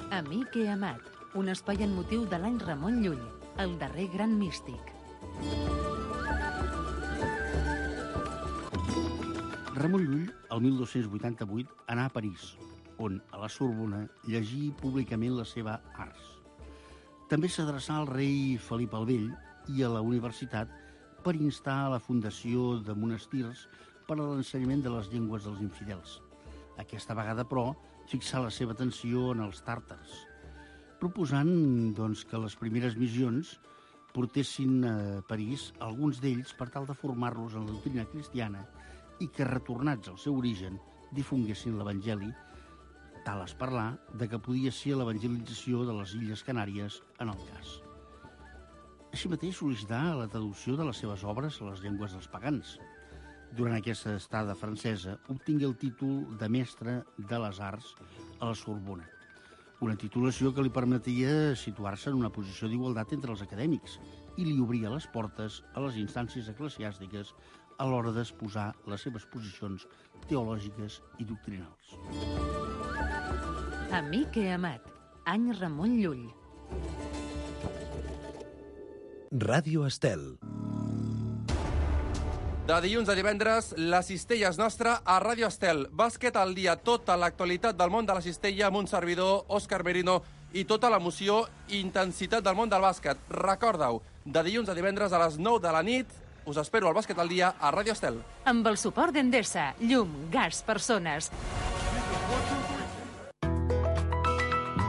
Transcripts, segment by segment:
Amic i amat, un espai en motiu de l'any Ramon Llull, el darrer gran místic. Ramon Llull, el 1288, anà a París, on, a la Sorbona, llegí públicament la seva Ars. També s'adreçà al rei Felip el Vell i a la universitat per instar a la fundació de monestirs per a l'ensenyament de les llengües dels infidels. Aquesta vegada, però, fixà la seva atenció en els tàrtars, proposant doncs, que les primeres missions portessin a París alguns d'ells per tal de formar-los en la doctrina cristiana i que, retornats al seu origen, difonguessin l'Evangeli, tal es parlar de que podia ser l'evangelització de les Illes Canàries en el cas. Així mateix sol·licità la traducció de les seves obres a les llengües dels pagans. Durant aquesta estada francesa, obtingué el títol de mestre de les arts a la Sorbona, una titulació que li permetia situar-se en una posició d'igualtat entre els acadèmics i li obria les portes a les instàncies eclesiàstiques a l'hora d'exposar les seves posicions teològiques i doctrinals. Amic i amat, any Ramon Llull. Ràdio Estel. De dilluns a divendres, la cistella és nostra a Ràdio Estel. Bàsquet al dia, tota l'actualitat del món de la cistella amb un servidor, Òscar Merino, i tota l'emoció i intensitat del món del bàsquet. Recorda-ho, de dilluns a divendres a les 9 de la nit, us espero al Bàsquet al dia a Ràdio Estel. Amb el suport d'Endesa, llum, gas, persones.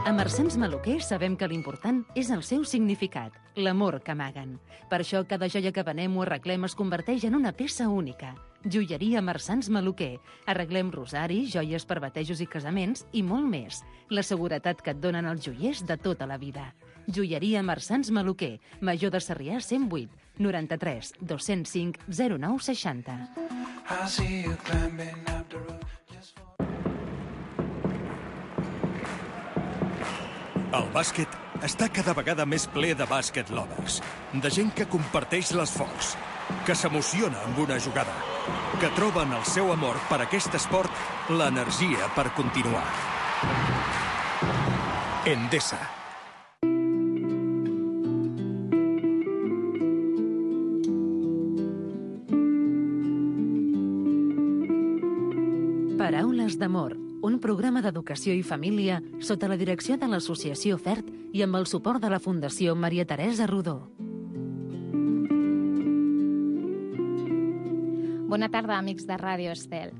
A Marsans Maluquer sabem que l'important és el seu significat, l'amor que amaguen. Per això cada joia que venem o arreglem es converteix en una peça única. Joieria Marsans Maluquer. Arreglem rosaris, joies per batejos i casaments i molt més. La seguretat que et donen els joiers de tota la vida. Joieria Marsans Maluquer. Major de Sarrià 108 93 205 09 60. El bàsquet està cada vegada més ple de bàsquet lovers, de gent que comparteix l'esforç, que s'emociona amb una jugada, que troben el seu amor per aquest esport l'energia per continuar. Endesa. Paraules d'amor, un programa d'educació i família sota la direcció de l'Associació FERT i amb el suport de la Fundació Maria Teresa Rodó. Bona tarda, amics de Ràdio Estel.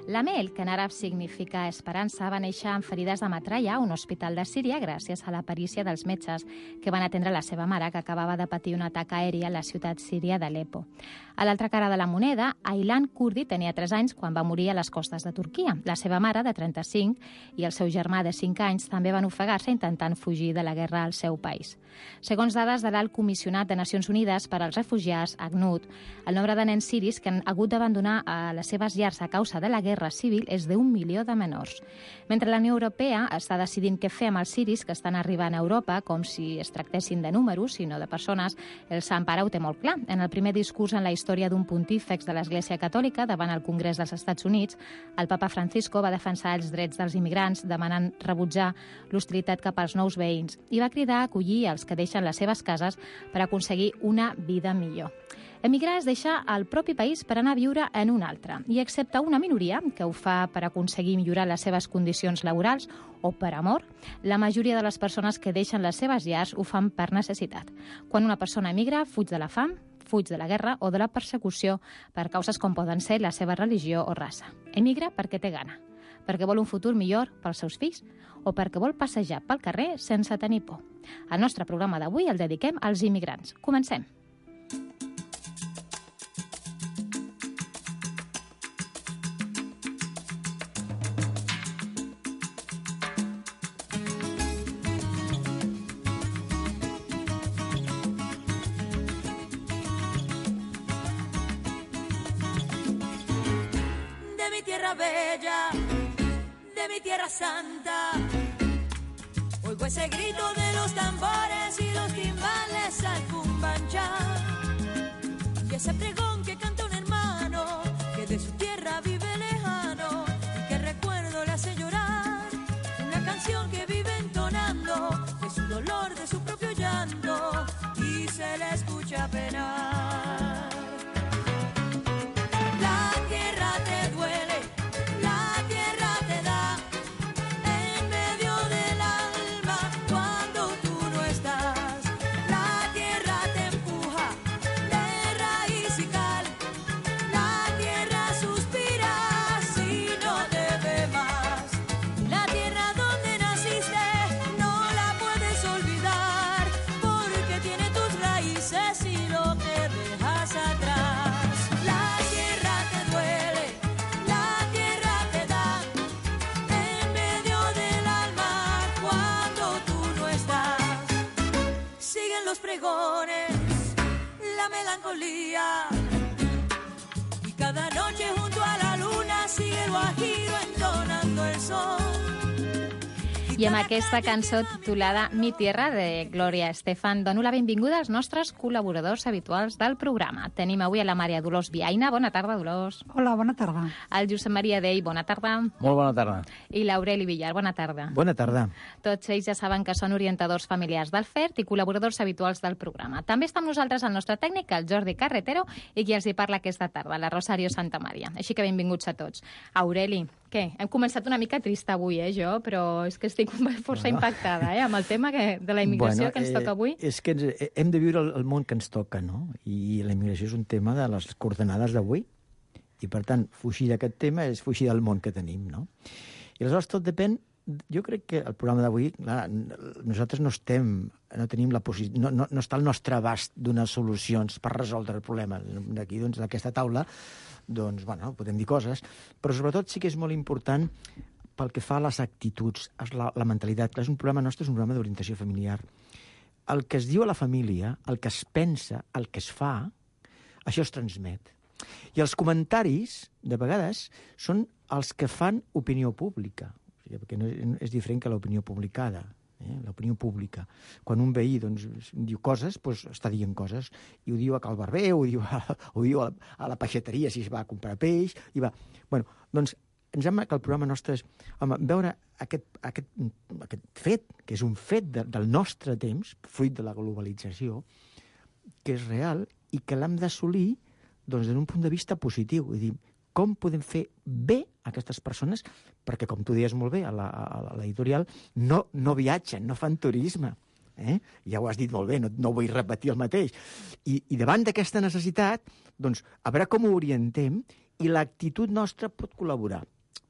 La Mel, que en àrab significa esperança, va néixer amb ferides de metralla a un hospital de Síria gràcies a la perícia dels metges que van atendre la seva mare, que acabava de patir un atac aeri a la ciutat síria d'Aleppo. A l'altra cara de la moneda, Aylan Kurdi tenia 3 anys quan va morir a les costes de Turquia. La seva mare, de 35, i el seu germà, de 5 anys, també van ofegar-se intentant fugir de la guerra al seu país. Segons dades de l'Alt Comissionat de Nacions Unides per als Refugiats, ACNUD, el nombre de nens siris que han hagut d'abandonar a les seves llars a causa de la guerra civil és d'1 milió de menors. Mentre la Unió Europea està decidint què fer amb els siris que estan arribant a Europa, com si es tractessin de números, sinó de persones, el Sant Pare ho té molt clar. En el primer discurs en la història d'un pontífex de l'Església Catòlica davant el Congrés dels Estats Units, el papa Francisco va defensar els drets dels immigrants, demanant rebutjar l'hostilitat cap als nous veïns i va cridar a acollir els que deixen les seves cases per aconseguir una vida millor. Emigrar és deixar el propi país per anar a viure en un altre, i excepte una minoria que ho fa per aconseguir millorar les seves condicions laborals o per amor, la majoria de les persones que deixen les seves llars ho fan per necessitat. Quan una persona emigra, fuig de la fam, fuig de la guerra o de la persecució per causes com poden ser la seva religió o raça. Emigra perquè té gana, perquè vol un futur millor pels seus fills o perquè vol passejar pel carrer sense tenir por. El nostre programa d'avui el dediquem als immigrants. Comencem. Bella, de mi tierra santa, oigo ese grito de los tambores y los timbales al cumbancha, y ese pregón que canta un hermano que de su tierra vive lejano. guajiro entonando el sol. I amb aquesta cançó titulada Mi Tierra, de Gloria Estefan, dono la benvinguda als nostres col·laboradors habituals del programa. Tenim avui a la Maria Dolors Viaina. Bona tarda, Dolors. Hola, bona tarda. El Josep Maria Dei. Bona tarda. Molt bona tarda. I l'Aureli Villar. Bona tarda. Bona tarda. Tots ells ja saben que són orientadors familiars del FERT i col·laboradors habituals del programa. També està amb nosaltres el nostre tècnic, el Jordi Carretero, i qui els hi parla aquesta tarda, la Rosario Santamaria. Així que benvinguts a tots. Aureli, què? Hem començat una mica trista avui, jo, però és que estic força impactada, amb el tema de la immigració que ens toca avui. És que hem de viure el món que ens toca, no? I la immigració és un tema de les coordenades d'avui. I, per tant, fugir d'aquest tema és fugir del món que tenim, no? I aleshores tot depèn. Jo crec que el programa d'avui, nosaltres no tenim la posició, no està al nostre abast donar solucions per resoldre el problema. D'aquí, doncs, d'aquesta taula, doncs, bueno, podem dir coses, però sobretot sí que és molt important pel que fa a les actituds, la mentalitat. Clar, és un programa nostre, és un programa d'orientació familiar. El que es diu a la família, el que es pensa, el que es fa, això es transmet. I els comentaris, de vegades, són els que fan opinió pública, perquè no és diferent que l'opinió publicada. L'opinió pública. Quan un veí doncs, diu coses, doncs està dient coses, i ho diu a Cal Barber, ho diu a la peixateria si es va a comprar peix, i va... Bueno, doncs em sembla que el programa nostre és veure aquest fet, que és un fet del nostre temps, fruit de la globalització, que és real i que l'hem d'assolir doncs, des d'un punt de vista positiu. Vull dir, com podem fer bé aquestes persones, perquè, com tu deies molt bé a l'editorial, no viatgen, no fan turisme. Ja ho has dit molt bé, no vull repetir el mateix. I davant d'aquesta necessitat, doncs, a veure com ho orientem, i l'actitud nostra pot col·laborar.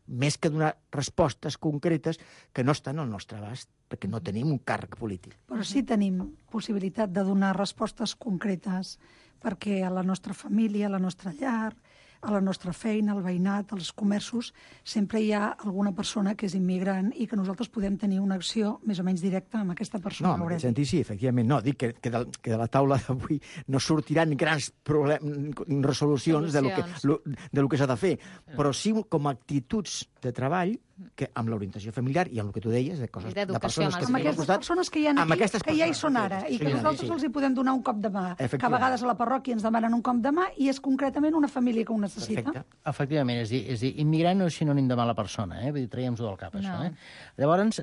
Més que donar respostes concretes que no estan al nostre abast, perquè no tenim un càrrec polític. Però sí tenim possibilitat de donar respostes concretes, perquè a la nostra família, a la nostra llar, a la nostra feina, al veïnat, als comerços, sempre hi ha alguna persona que és immigrant i que nosaltres podem tenir una acció més o menys directa amb aquesta persona. No, en aquest sentit sí, efectivament. No, dic que de la taula d'avui no sortiran grans resolucions de lo que s'ha de fer, però sí com a actituds de treball que amb l'orientació familiar i amb el que tu deies, de persones que amb aquestes persones que hi ha aquí, que ja hi són ara, i que nosaltres els hi podem donar un cop de mà, que a vegades a la parròquia ens demanen un cop de mà i és concretament una família que ho necessita. Perfecte. Efectivament, és dir, immigrant no és sinònim de mala persona, vull dir, traiem-ho del cap, això. Llavors,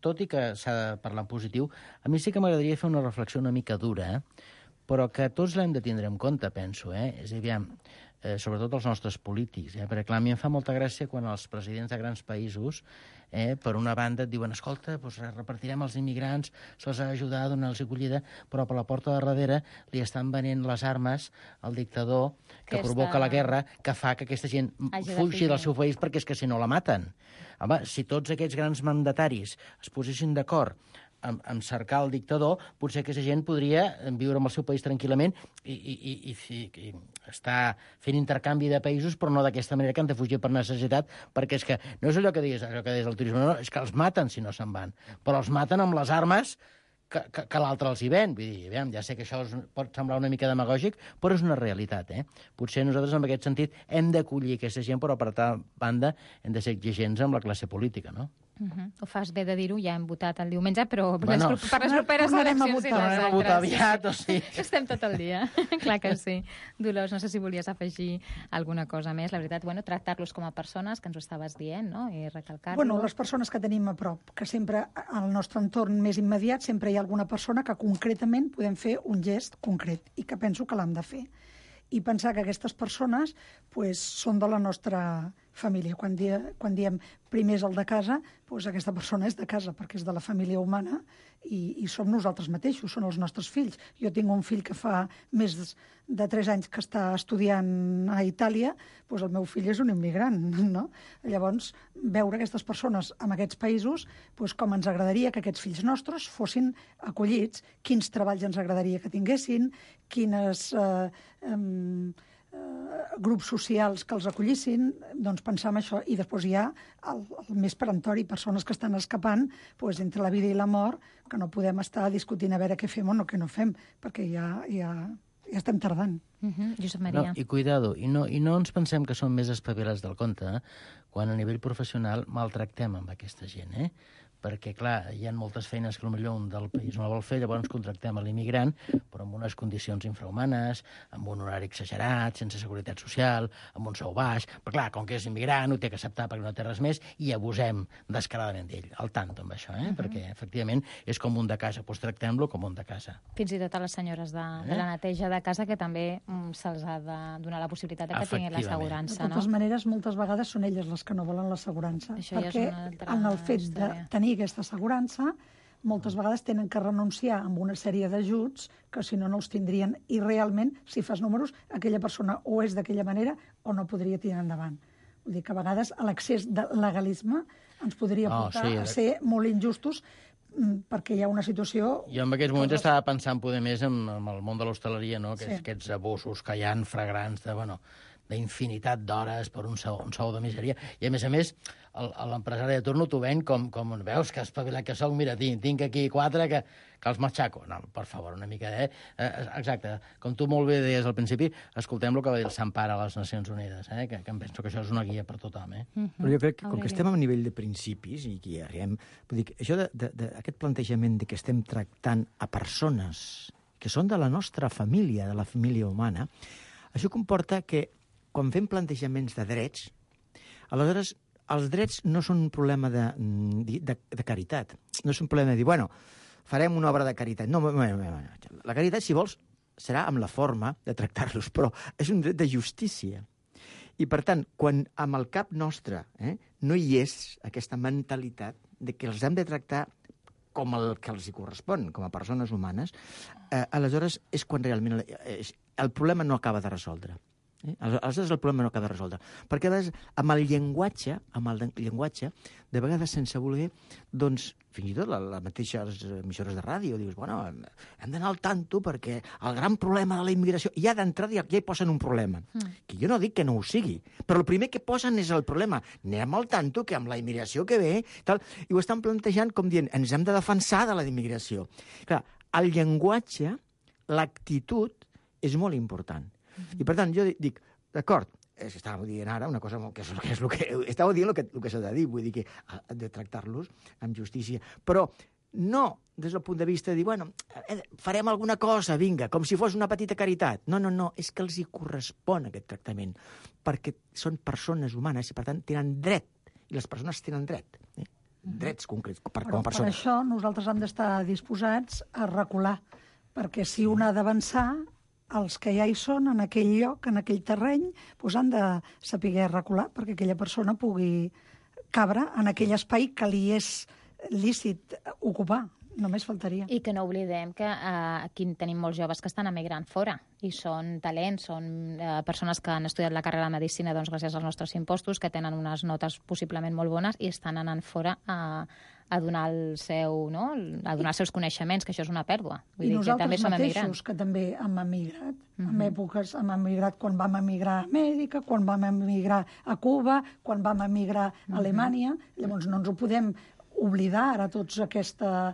tot i que s'ha de parlar en positiu, a mi sí que m'agradaria fer una reflexió una mica dura, però que tots l'hem de tindre en compte, penso, és a dir, sobretot els nostres polítics, perquè clar, a mi em fa molta gràcia quan els presidents de grans països, per una banda, et diuen, escolta, doncs repartirem els immigrants, se'ls ha d'ajudar a donar-los acollida, però per la porta de darrere li estan venent les armes al dictador que provoca la guerra, que fa que aquesta gent fugi del seu país perquè és que si no la maten. Home, si tots aquests grans mandataris es posessin d'acord en cercar el dictador, potser aquesta gent podria viure en el seu país tranquil·lament i estar fent intercanvi de països, però no d'aquesta manera que han de fugir per necessitat, perquè és que no és allò que deies el turisme, no, és que els maten si no se'n van, però els maten amb les armes que l'altre els hi ven. Vull dir, ja sé que això pot semblar una mica demagògic, però és una realitat. Potser nosaltres, en aquest sentit, hem d'acollir aquesta gent, però per altra banda hem de ser exigents amb la classe política, no? Ho fas bé de dir-ho, ja hem votat el diumenge, però per les properes eleccions i les altres. A votar aviat, o sigui... Estem tot el dia, clar que sí. Dolors, no sé si volies afegir alguna cosa més. La veritat, tractar-los com a persones, que ens ho estaves dient, no? I recalcar-los. Bueno, les persones que tenim a prop, que sempre al nostre entorn més immediat sempre hi ha alguna persona que concretament podem fer un gest concret i que penso que l'hem de fer. I pensar que aquestes persones són de la nostra família. Quan diem primer és el de casa, aquesta persona és de casa, perquè és de la família humana i som nosaltres mateixos, són els nostres fills. Jo tinc un fill que fa més de 3 anys que està estudiant a Itàlia, el meu fill és un immigrant, no? Llavors, veure aquestes persones en aquests països, com ens agradaria que aquests fills nostres fossin acollits, quins treballs ens agradaria que tinguessin, quines grups socials que els acollissin, doncs pensar en això. I després hi ha el més perentori, persones que estan escapant entre la vida i la mort, que no podem estar discutint a veure què fem o no què no fem, perquè hi ha Ja estem tardant. Josep No, Maria. i cuidado, i no ens pensem que som més espavilats del compte, quan a nivell professional maltractem amb aquesta gent, perquè, clar, hi ha moltes feines que potser un del país no la vol fer, llavors contractem a l'immigrant, però amb unes condicions infrahumanes, amb un horari exagerat, sense seguretat social, amb un sou baix, però clar, com que és immigrant, ho té que acceptar perquè no té res més, i abusem descaradament d'ell. Al tanto amb això, perquè, efectivament, és com un de casa, doncs tractem-lo com un de casa. Fins i tot a les senyores de la neteja de casa, que també se'ls ha de donar la possibilitat de que tinguin l'assegurança, De no? totes maneres, moltes vegades són elles les que no volen l'assegurança, Això ja és perquè una altra en el fet història. de tenir aquesta assegurança, moltes vegades tenen que renunciar a una sèrie d'ajuts que si no, no els tindrien. I realment, si fas números, aquella persona o és d'aquella manera o no podria tirar endavant. Vull dir que a vegades l'excés de legalisme ens podria portar a ser molt injustos, perquè hi ha una situació... Jo en aquests moments estava pensant poder més en el món de l'hostaleria, no? Que Sí. aquests abusos que hi ha fragrants d'infinitat d'hores per un sou de misèria. I, a més, l'empresari de turno t'ho ven com veus que espavilat que soc, mira, tinc aquí 4 que els matxaco. No, per favor, una mica, Exacte. Com tu molt bé deies al principi, escoltem el que va dir el Sampara a les Nacions Unides, que em penso que això és una guia per tothom, Però jo crec que, com que estem a nivell de principis, i que arribem... Vull dir, això aquest plantejament de que estem tractant a persones que són de la nostra família, de la família humana, això comporta que, quan fem plantejaments de drets, aleshores els drets no són un problema de caritat. No és un problema de dir, bueno, farem una obra de caritat. No, la caritat, si vols, serà amb la forma de tractar-los, però és un dret de justícia. I, per tant, quan amb el cap nostre no hi és aquesta mentalitat de que els hem de tractar com el que els hi correspon, com a persones humanes, aleshores és quan realment el problema no acaba de resoldre. Aleshores el problema no acaba de resoldre. Perquè a vegades amb el llenguatge, de vegades sense voler, doncs, fins i tot les mateixes emissores de ràdio, dius, bueno, hem d'anar al tanto perquè el gran problema de la immigració, ja d'entrada ja hi posen un problema. Que jo no dic que no ho sigui, però el primer que posen és el problema. Anem al tanto que amb la immigració que ve, tal, i ho estan plantejant com dient, ens hem de defensar de la immigració. Clar, el llenguatge, l'actitud, és molt important. I, per tant, jo dic, d'acord, estàveu dient ara una cosa que és el que... Estàveu dient el que s'ha de dir, vull dir que ha de tractar-los amb justícia. Però no des del punt de vista de dir, bueno, farem alguna cosa, vinga, com si fos una petita caritat. No, és que els hi correspon aquest tractament, perquè són persones humanes i, per tant, tenen dret, i les persones tenen dret. Drets concrets, com a persones. Per això nosaltres hem d'estar disposats a recular, perquè si un ha d'avançar, els que ja hi són en aquell lloc, en aquell terreny, doncs han de saber recular perquè aquella persona pugui cabre en aquell espai que li és lícit ocupar. Només faltaria. I que no oblidem que aquí tenim molts joves que estan emigrant fora i són talents, són persones que han estudiat la carrera de Medicina doncs, gràcies als nostres impostos, que tenen unes notes possiblement molt bones i estan anant fora a donar els seus coneixements, que això és una pèrdua. Vull dir que també som emigrants. Que també hem emigrat. En èpoques hem emigrat quan vam emigrar a Amèrica, quan vam emigrar a Cuba, quan vam emigrar a Alemanya. Llavors no ens ho podem oblidar ara tots aquesta...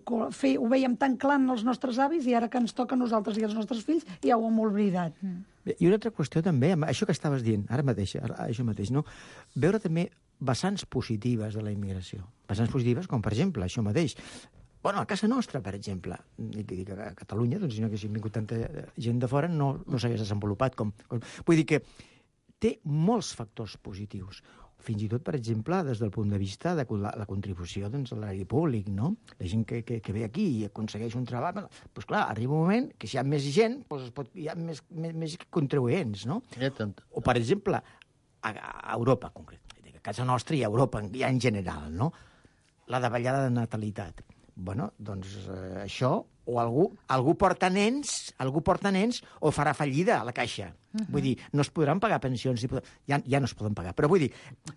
Ho veiem tan clar en els nostres avis i ara que ens toca a nosaltres i als nostres fills ja ho hem oblidat. I una altra qüestió també, això que estaves dient, ara mateix, això mateix, no? Veure també vessants positives de la immigració. Vessants positives com, per exemple, això mateix. Bueno, a casa nostra, per exemple, dic a Catalunya, doncs si no haguéssim vingut tanta gent de fora, no s'hagués desenvolupat com... Vull dir que té molts factors positius. Fins i tot, per exemple, des del punt de vista de la contribució doncs, a l'erari públic, no? La gent que ve aquí i aconsegueix un treball, doncs clar, arriba un moment que si hi ha més gent, doncs hi ha més contribuents, no? O, per exemple, a Europa, concret, a casa nostra i a Europa, ja en general, no? La davallada de natalitat. Bueno, doncs això, o algú porta nens o farà fallida a la caixa. Vull dir, no es podran pagar pensions, ja no es poden pagar. Però vull dir,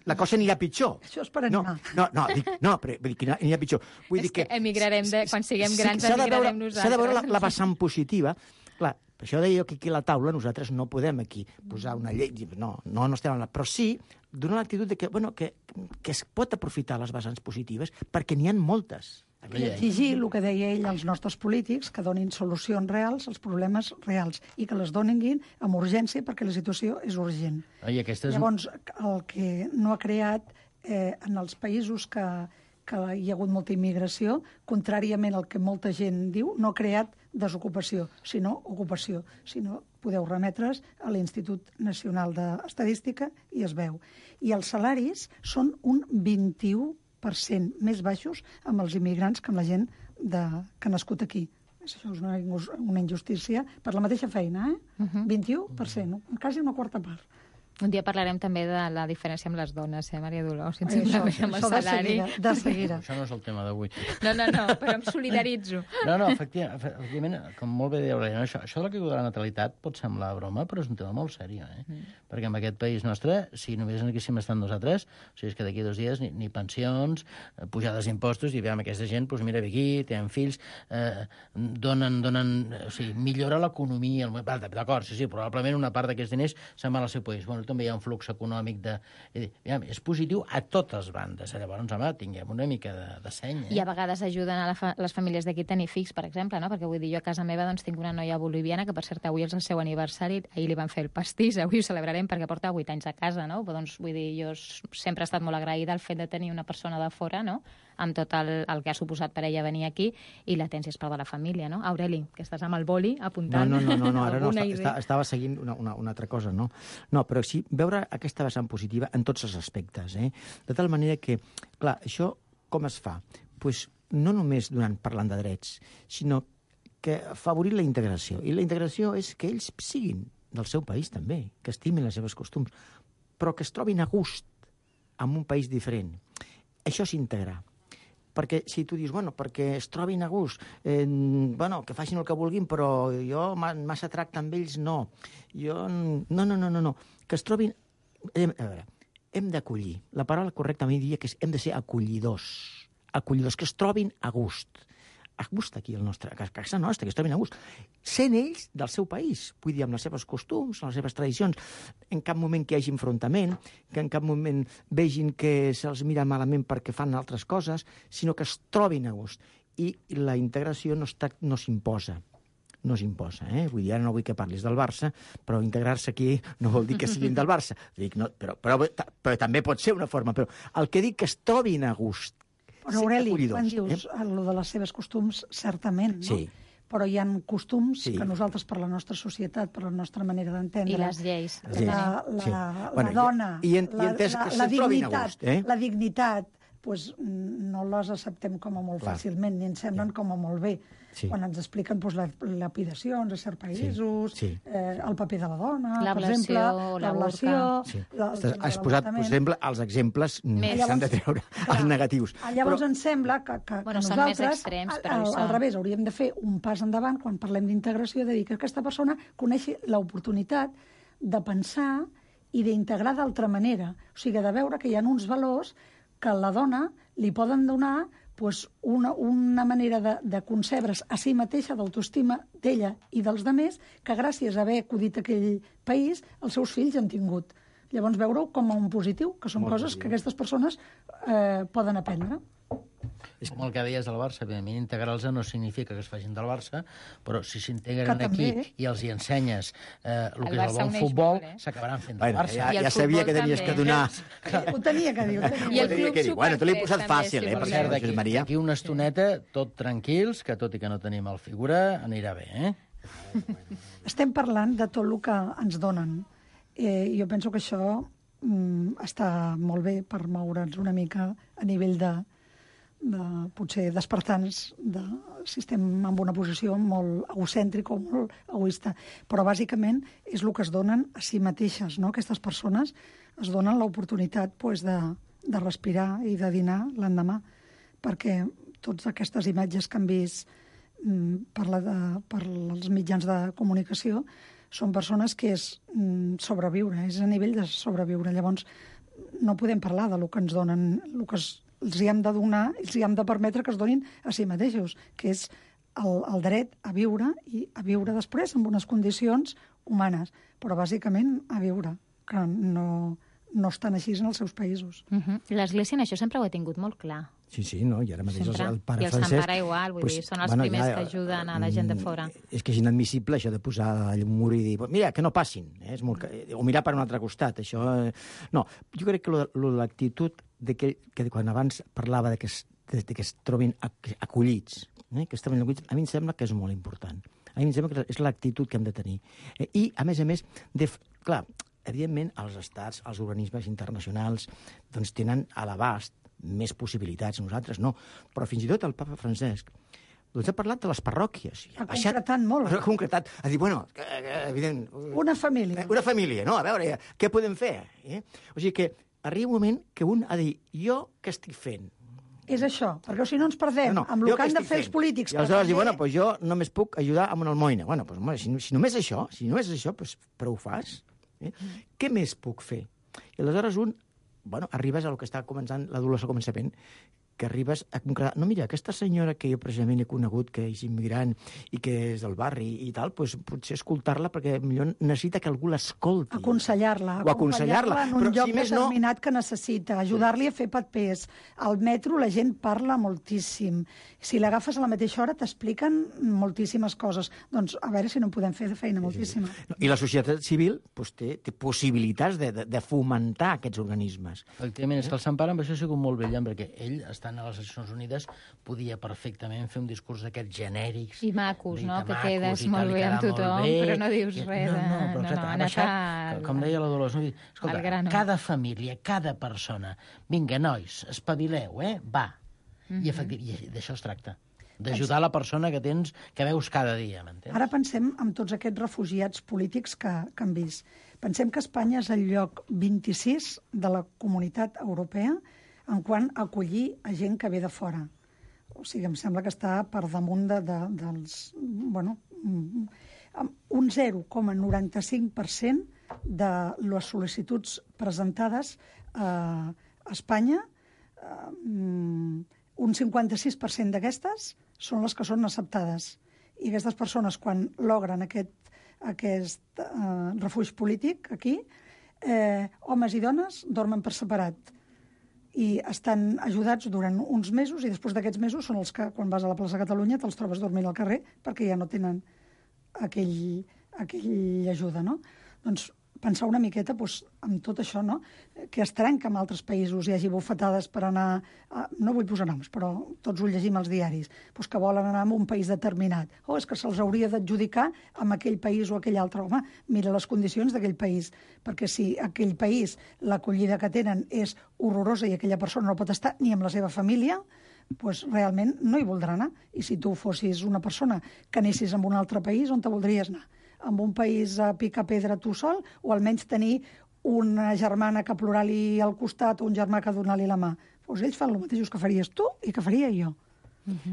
la cosa anirà pitjor. Això és per animar. No, però vull dir que anirà pitjor. Vull dir que emigrarem, quan siguem grans, emigrarem nosaltres. S'ha de veure la vessant positiva. Clar, per això deia que aquí a la taula nosaltres no podem aquí posar una llei. No estem en la... Però sí donar l'actitud de que es pot aprofitar les vessants positives perquè n'hi ha moltes. I exigir el que deia ell als nostres polítics, que donin solucions reals als problemes reals i que les donin amb urgència perquè la situació és urgent. Llavors, el que no ha creat en els països que hi ha hagut molta immigració, contràriament al que molta gent diu, no ha creat desocupació, sinó ocupació. Si no, podeu remetre's a l'Institut Nacional d'Estadística i es veu. I els salaris són un 21% més baixos amb els immigrants que amb la gent que ha nascut aquí. Això és una injustícia per la mateixa feina, 21%, quasi una quarta part. Un dia parlarem també de la diferència amb les dones, Maria Dolors, simplement amb el salari. De seguida. Això no és el tema d'avui. No, però em solidaritzo. No, efectivament, com molt bé deia Aurèlia, això de la caiguda de la natalitat pot semblar broma, però és un tema molt seriós, Perquè en aquest país nostre, si només haguéssim estat nosaltres, o sigui, és que d'aquí 2 dies ni pensions, pujades d'impostos, i veiem aquesta gent, doncs mira, ve aquí, tenen fills, donen, o sigui, millora l'economia, d'acord, sí, probablement una part d'aquests diners se'n va al seu país. Bueno, també hi ha un flux econòmic és positiu a totes bandes. Llavors, home, tinguem una mica de seny. I a vegades ajuden a les famílies d'aquí a tenir fills, per exemple, no? Perquè vull dir, jo a casa meva tinc una noia boliviana que, per cert, avui és el seu aniversari, ahir li van fer el pastís, avui ho celebrarem perquè porta 8 anys a casa, no? Doncs, vull dir, jo sempre he estat molt agraïda al fet de tenir una persona de fora, no?, amb tot el que ha suposat per ella venir aquí, i la tens és part de la família, no? Aureli, que estàs amb el boli apuntant. No, ara no, estava seguint una altra cosa, no? No, però sí, veure aquesta vessant positiva en tots els aspectes, De tal manera que, clar, això com es fa? Pues no només parlant de drets, sinó que afavorir la integració. I la integració és que ells siguin del seu país també, que estimin les seves costums, però que es trobin a gust en un país diferent. Això és integrar. Perquè si tu dius, perquè es trobin a gust, que facin el que vulguin, però jo massa tracte amb ells no. No. Que es trobin... A veure, hem d'acollir. La paraula correctament diria que hem de ser acollidors. Acollidors, que es trobin a gust. A gust aquí, a casa nostra, que es trobin a gust. Sent ells del seu país, vull dir, amb les seves costums, les seves tradicions, en cap moment que hi hagi enfrontament, que en cap moment vegin que se'ls mira malament perquè fan altres coses, sinó que es trobin a gust. I la integració no s'imposa. No s'imposa, Vull dir, ara no vull que parlis del Barça, però integrar-se aquí no vol dir que siguin del Barça. Dic, no, però també pot ser una forma. Però el que dic que es trobin a gust. Però, Aureli, quan dius el de les seves costums, certament, no? Sí. Però hi ha costums que nosaltres, per la nostra societat, per la nostra manera d'entendre... I les lleis. La dona, la dignitat, no les acceptem com a molt fàcilment, ni ens semblen com a molt bé. Quan ens expliquen lapidacions a certs països, el paper de la dona, per exemple, l'ablació... Has posat, per exemple, els exemples que s'han de treure, els negatius. Llavors ens sembla que nosaltres, al revés, hauríem de fer un pas endavant quan parlem d'integració, de dir que aquesta persona coneixi l'oportunitat de pensar i d'integrar d'altra manera. O sigui, de veure que hi ha uns valors que a la dona li poden donar una manera de concebre's a si mateixa, d'autoestima d'ella i dels demés, que gràcies a haver acudit a aquell país, els seus fills han tingut. Llavors, veure-ho com a un positiu, que són coses que aquestes persones poden aprendre. És com el que deies del Barça, evidentment, integrar-los no significa que es facin del Barça, però si s'integren aquí i els hi ensenyes el que és el bon futbol, s'acabaran fent del Barça. Ja sabia que tenies que donar... Ho tenia que dir. I el club superflex. Bueno, te l'he posat fàcil, per cert, Josep Maria. D'aquí una estoneta, tot tranquils, que tot i que no tenim el figura, anirà bé, Estem parlant de tot el que ens donen. Jo penso que això està molt bé per moure'ns una mica a nivell de potser despertar-nos si estem en una posició molt egocèntrica o molt egoista. Però bàsicament és el que es donen a si mateixes, no? Aquestes persones es donen l'oportunitat de respirar i de dinar l'endemà, perquè totes aquestes imatges que han vist per els mitjans de comunicació són persones que és sobreviure, és a nivell de sobreviure. Llavors, no podem parlar de lo que ens donen, el que els hi hem de donar, els hi hem de permetre que es donin a si mateixos, que és el dret a viure i a viure després en unes condicions humanes, però bàsicament a viure, que no no estan així en els seus països. L'Església en això sempre ho ha tingut molt clar. Sí, no, i ara mateix el pare I el Francesc... Sant Pare igual, vull dir, són els primers que ajuden a la gent de fora. És que és inadmissible això de posar un mur i dir, mira, que no passin, és molt... o mirar per un altre costat, això... No, jo crec que l'actitud que quan abans parlava que es trobin acollits, que es trobin acollits, a mi em sembla que és molt important. A mi em sembla que és l'actitud que hem de tenir. I, a més, clar, evidentment, els estats, els organismes internacionals, doncs tenen a l'abast més possibilitats, nosaltres no. Però fins i tot el papa Francesc doncs ha parlat de les parròquies. Ha concretat molt. Ha concretat. Ha dit, bueno, evident... Una família. Una família, no? A veure, què podem fer? O sigui que arriba un moment que un ha de dir, jo què estic fent? És això, perquè si no ens perdem amb el que han de fer els polítics. I aleshores diu, bueno, doncs jo només puc ajudar amb una almoina. Bueno, doncs si només això, doncs prou fas. Què més puc fer? I aleshores arribes al que està començant l'adolescent al començament, que arribes a concretar... No, mira, aquesta senyora que jo precisament he conegut, que és immigrant i que és del barri i tal, doncs potser escoltar-la perquè millor necessita que algú l'escolti. Aconsellar-la. O aconsellar-la. En un lloc determinat que necessita. Ajudar-li a fer papers. Al metro la gent parla moltíssim. Si l'agafes a la mateixa hora t'expliquen moltíssimes coses. Doncs a veure si no en podem fer de feina moltíssima. I la societat civil té possibilitats de fomentar aquests organismes. Efectivament, és que el Sant Pare amb això ha sigut molt brillant, perquè ell està a les Nacions Unides, podia perfectament fer un discurs d'aquests genèrics. I macos, no? Que quedes molt bé amb tothom, però no dius res de... No, com deia la Dolors, escolta, cada família, cada persona, vinga, nois, espavileu, va. I d'això es tracta, d'ajudar la persona que tens, que veus cada dia, m'entens? Ara pensem en tots aquests refugiats polítics que han vist. Pensem que Espanya és el lloc 26 de la comunitat europea en quant a acollir a gent que ve de fora. O sigui, em sembla que està per damunt dels... Bueno, un 0,95% de les sol·licituds presentades a Espanya, un 56% d'aquestes són les que són acceptades. I aquestes persones, quan logren aquest refugi polític aquí, homes i dones dormen per separat i estan ajudats durant uns mesos i després d'aquests mesos són els que, quan vas a la plaça Catalunya, te'ls trobes dormint al carrer perquè ja no tenen aquella ajuda, no? Doncs pensar una miqueta amb tot això, no? Que es trenca en altres països, hi hagi bufetades per anar... No vull posar noms, però tots ho llegim als diaris, que volen anar a un país determinat. És que se'ls hauria d'adjudicar amb aquell país o aquell altre. Home, mira les condicions d'aquell país, perquè si aquell país, l'acollida que tenen és horrorosa i aquella persona no pot estar ni amb la seva família, doncs realment no hi voldrà anar. I si tu fossis una persona que anessis a un altre país, on te voldries anar? En un país a picar pedra tu sol, o almenys tenir una germana que plorar-li al costat o un germà que donar-li la mà. Doncs ells fan el mateix que faries tu i que faria jo.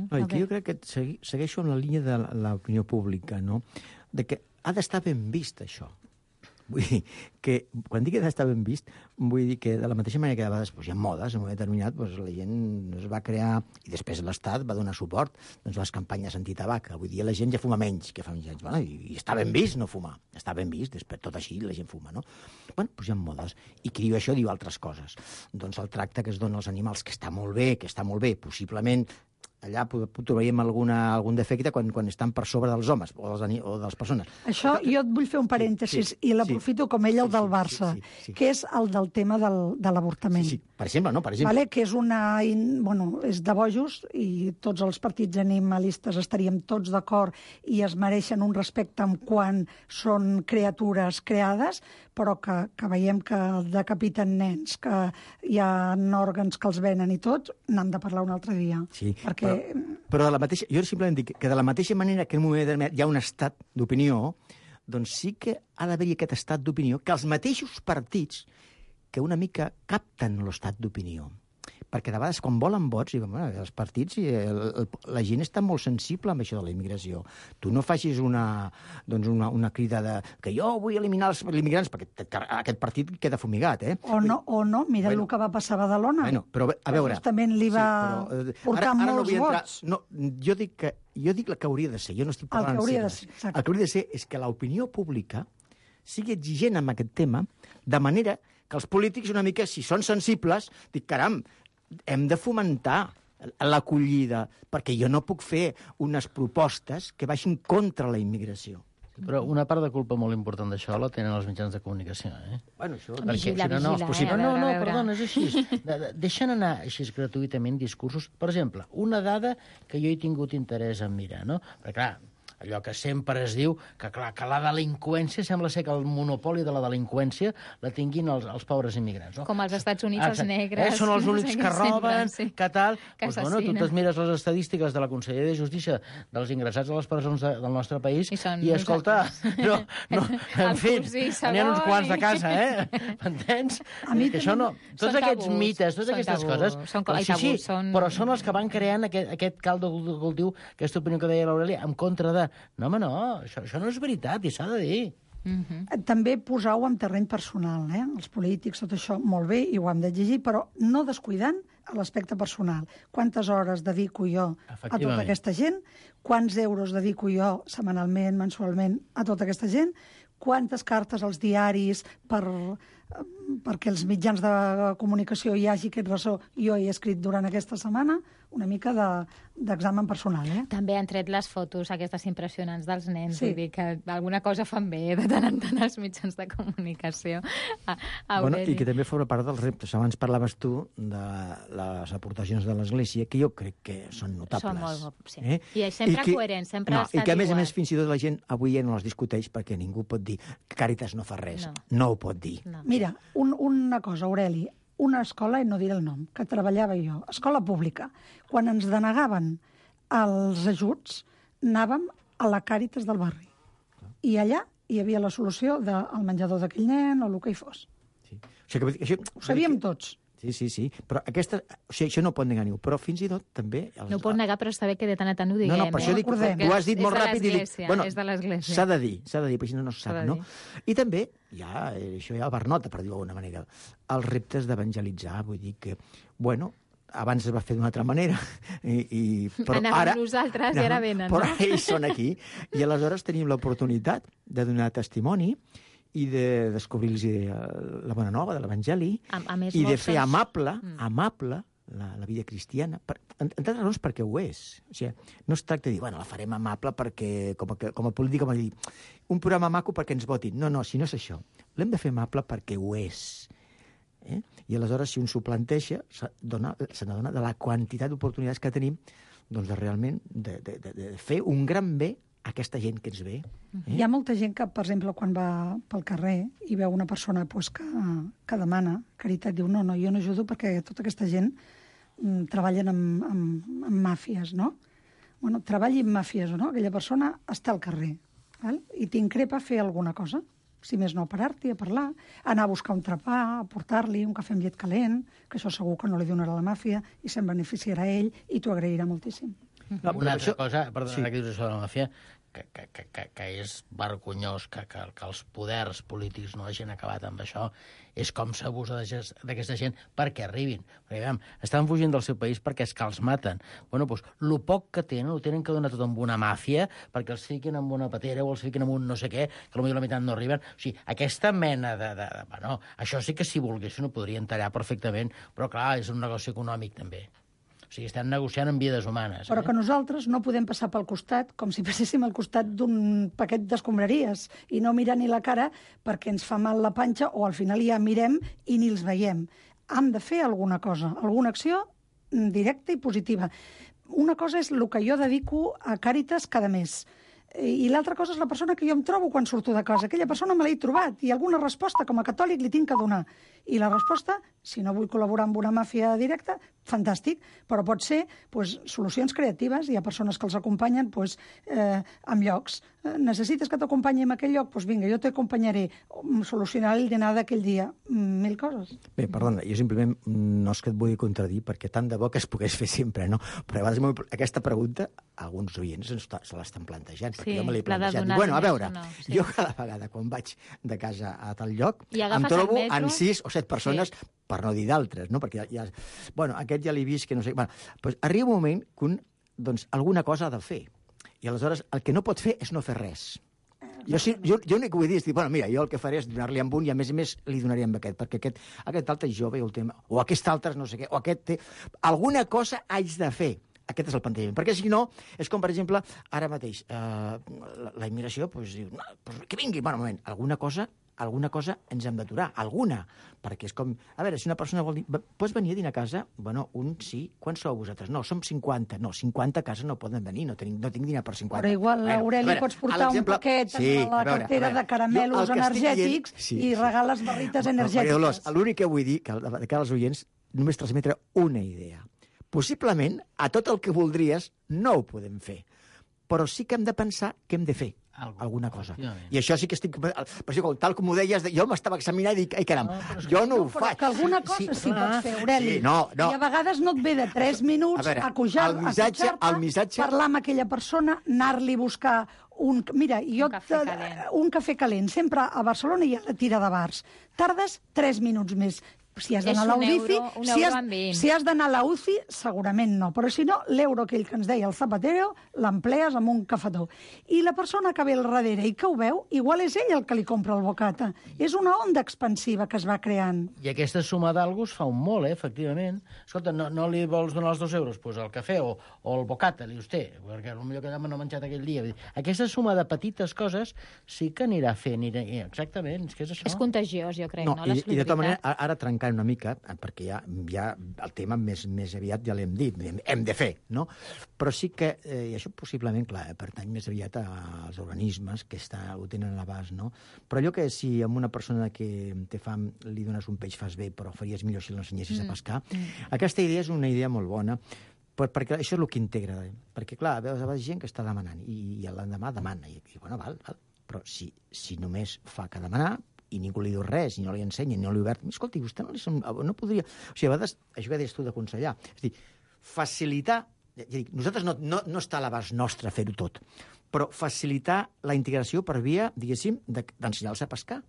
Jo crec que segueixo en la línia de l'opinió pública, no? De que ha d'estar ben vist, això. Vull dir que, quan dic que ha d'estar ben vist, vull dir que de la mateixa manera que de vegades hi ha modes, en un moment determinat, la gent es va crear, i després l'Estat va donar suport, les campanyes antitabac. Vull dir, la gent ja fuma menys que fa uns anys. I està ben vist no fumar. Està ben vist, després tot així la gent fuma, no? Bueno, doncs hi ha modes. I qui diu això diu altres coses. Doncs el tracte que es dona als animals, que està molt bé, possiblement allà trobaríem algun defecte quan estan per sobre dels homes o de les persones. Això jo et vull fer un parèntesis i l'aprofito com ell el del Barça, que és el del tema de l'avortament. Sí, per exemple, no? Per exemple. Vale? Que és és de bojos i tots els partits animalistes estaríem tots d'acord i es mereixen un respecte en quan són criatures creades, però que veiem que decapiten nens, que hi ha òrgans que els venen i tot, n'hem de parlar un altre dia. Sí, però jo simplement dic que de la mateixa manera que en un moment determinat hi ha un estat d'opinió, doncs sí que ha d'haver-hi aquest estat d'opinió, que els mateixos partits que una mica capten l'estat d'opinió. Perquè de vegades, quan volen vots, els partits, la gent està molt sensible amb això de la immigració. Tu no facis una crida que jo vull eliminar els immigrants, perquè aquest partit queda fumigat, eh? O no, mira el que va passar a Badalona. Bueno, però a veure... Justament li va portar molts vots. No, jo dic el que hauria de ser, jo no estic parlant el que hauria de ser és que l'opinió pública sigui exigent amb aquest tema, de manera que els polítics una mica, si són sensibles, dic, caram, hem de fomentar l'acollida, perquè jo no puc fer unes propostes que vagin contra la immigració. Però una part de culpa molt important d'això la tenen els mitjans de comunicació, eh? Bueno, això... Vigila, no és possible. a veure. Perdona, és així. Deixen anar així gratuïtament discursos. Per exemple, una dada que jo he tingut interès en mirar, no? Perquè, clar, allò que sempre es diu, que clar, que la delinqüència, sembla ser que el monopoli de la delinqüència la tinguin els pobres immigrants. No? Com als Estats Units, els negres... Són els únics que roben, sí. que tal... Que Doncs, bueno, tu et mires les estadístiques de la Conselleria de Justícia dels ingressats a les presons del nostre país i escolta, en fi, n'hi ha uns quants de casa, m'entens? Que això no... Tots aquests mites, totes aquestes coses... Però són els que van creant aquest caldo de cultiu, aquesta opinió que deia l'Aurelia, en contra de... No, home, no, això no és veritat i s'ha de dir. També posar-ho en terreny personal, els polítics, tot això, molt bé, i ho hem d'exigir, però no descuidant l'aspecte personal. Quantes hores dedico jo a tota aquesta gent? Quants euros dedico jo setmanalment, mensualment, a tota aquesta gent? Quantes cartes als diaris perquè els mitjans de comunicació hi hagi aquest ressò jo he escrit durant aquesta setmana? Una mica d'examen personal, També han tret les fotos aquestes impressionants dels nens, vull dir que alguna cosa fan bé de tant en tant els mitjans de comunicació. Bueno, i que també forma part dels reptes. Abans parlaves tu de les aportacions de l'Església, que jo crec que són notables. Són molt, sí. I sempre coherents, sempre ha estat igual. I que, a més, fins i tot la gent avui ja no les discuteix perquè ningú pot dir que Càritas no fa res. No ho pot dir. Mira, una cosa, Aureli, una escola, i no diré el nom, que treballava jo, escola pública. Quan ens denegaven els ajuts, anàvem a la Càritas del barri. I allà hi havia la solució del menjador d'aquell nen o el que hi fos. Sí. Ho sabíem tots. Sí, però això no ho pot negar ningú, però fins i tot també... No ho pot negar, però està bé que de tant a tant ho diguem. No, per això dic, tu has dit molt ràpid i dic... Bueno, és de l'Església. S'ha de dir, perquè si no se sap, no? I també, això ja va per nota, per dir-ho d'alguna manera, els reptes d'evangelitzar, vull dir que, bueno, abans es va fer d'una altra manera, però ara... nosaltres i ara venen, no? Però ells són aquí, i aleshores tenim l'oportunitat de donar testimoni i de descobrir-los la bona nova de l'Evangeli i de fer amable la vida cristiana, entre altres raons perquè ho és. O sigui, no es tracta de dir, la farem amable perquè, com a polític, com a dir, un programa maco perquè ens votin. No, si no és això. L'hem de fer amable perquè ho és. I aleshores, si un s'ho planteja, se n'adona de la quantitat d'oportunitats que tenim doncs, realment de fer un gran bé a aquesta gent que ens ve. Hi ha molta gent que, per exemple, quan va pel carrer i veu una persona que demana caritat, diu, no, jo no ajudo perquè tota aquesta gent treballen amb màfies, no? Bueno, treballi amb màfies o no, aquella persona està al carrer, i t'increpa fer alguna cosa, si més no, parar-t'hi a parlar, anar a buscar un trepà, a portar-li un cafè amb llet calent, que això segur que no li donarà la màfia i se'n beneficiarà ell i t'ho agrairà moltíssim. Una altra cosa, perdona que dius això de la màfia, que és vergonyós que els poders polítics no hagin acabat amb això, és com s'abusa d'aquesta gent perquè arribin. Perquè, veiem, estan fugint del seu país perquè és que els maten. Bueno, doncs, el poc que tenen, ho tenen que donar tot amb una màfia perquè els fiquin amb una patera o els fiquin amb un no sé què, que potser la meitat no arriben. O sigui, aquesta mena bueno, això sí que si volguessin ho podrien tallar perfectament, però clar, és un negoci econòmic també. O sigui, estan negociant amb vides humanes. Però que nosaltres no podem passar pel costat com si passéssim al costat d'un paquet d'escombraries i no mirar ni la cara perquè ens fa mal la panxa o al final ja mirem i ni els veiem. Hem de fer alguna cosa, alguna acció directa i positiva. Una cosa és el que jo dedico a Càritas cada mes. I l'altra cosa és la persona que jo em trobo quan surto de casa. Aquella persona me l'he trobat i alguna resposta com a catòlic li tinc que donar. I la resposta, si no vull col·laborar amb una màfia directa, fantàstic, però pot ser solucions creatives. Hi ha persones que els acompanyen en llocs. Necessites que t'acompanyi en aquell lloc? Doncs vinga, jo t'acompanyaré. Solucionar el dinar d'aquell dia. 1000 coses. Bé, perdona, jo simplement no és que et vull contradir, perquè tant de bo que es pogués fer sempre, no? Però a vegades aquesta pregunta alguns oients se l'estan plantejant, perquè jo me l'he plantejat. Bueno, a veure, jo cada vegada quan vaig de casa a tal lloc em trobo en 6 o 7 persones, per no dir d'altres, no? Perquè bueno, aquest ja l'he vist, que no sé... Bueno, doncs arriba un moment que alguna cosa ha de fer. I aleshores el que no pot fer és no fer res. Jo l'únic que vull dir és dir, bueno, mira, jo el que faré és donar-li amb un i a més li donaré amb aquest, perquè aquest altre és jove i el tema, o aquest altre és no sé què, o aquest té... Alguna cosa haig de fer. Aquest és el plantejament. Perquè si no, és com, per exemple, ara mateix, la immigració, doncs diu, no, que vingui, bueno, un moment, alguna cosa ens hem d'aturar, alguna, perquè és com, a veure, si una persona vol dir, pots venir a dinar a casa? Bueno, un sí, quants sou vosaltres? No, som 50, no, 50 a casa no poden venir, no tinc dinar per 50. Però igual, Aureli, pots portar un paquet a la cartera de caramelos energètics i regales barrites energètiques. L'únic que vull dir, que de cara als oients, només transmetre una idea. Possiblement, a tot el que voldries no ho podem fer, però sí que hem de pensar que hem de fer alguna cosa. I això sí que estic... Per exemple, tal com ho deies, jo m'estava examinant i dic, ai, caram, jo no ho faig. Que alguna cosa sí pots fer, Aureli. I a vegades no et ve de 3 minuts a pujar-te, parlar amb aquella persona, anar-li a buscar un cafè calent. Sempre a Barcelona hi ha la tira de bars. Tardes 3 minuts més. Si has d'anar a la UCI, si has d'anar a la UCI, segurament no. Però si no, l'euro aquell que ens deia el Zapatero, l'emplees amb un cafetó. I la persona que ve al darrere i que ho veu, igual és ell el que li compra el bocata. És una onda expansiva que es va creant. I aquesta suma d'algos fa un molt, efectivament. Escolta, no li vols donar els 2 euros? Doncs el cafè o el bocata, li dius, perquè potser que no ha menjat aquell dia. Aquesta suma de petites coses sí que anirà fent. Exactament, és que és això. És contagiós, jo crec, no? I de tota manera, ara trencant una mica, perquè ja el tema més aviat ja l'hem dit, hem de fer, no? Però sí que, i això possiblement, clar, pertany més aviat als organismes que ho tenen a l'abast, no? Però allò que si a una persona que té fam li dones un peix fas bé, però faries millor si l'ensenyessis a pescar, aquesta idea és una idea molt bona, perquè això és el que integra. Perquè, clar, veus gent que està demanant, i l'endemà demana, i bueno, val, però si només fa que demanar, i ningú li diu res, ni no li ensenya, ni no li obert. Escolti, vostè no podria... O sigui, a vegades, això que deies tu de aconsellar, és dir, facilitar... Nosaltres no està a l'abast nostre fer-ho tot, però facilitar la integració per via, diguéssim, d'ensenyar-los a pescar.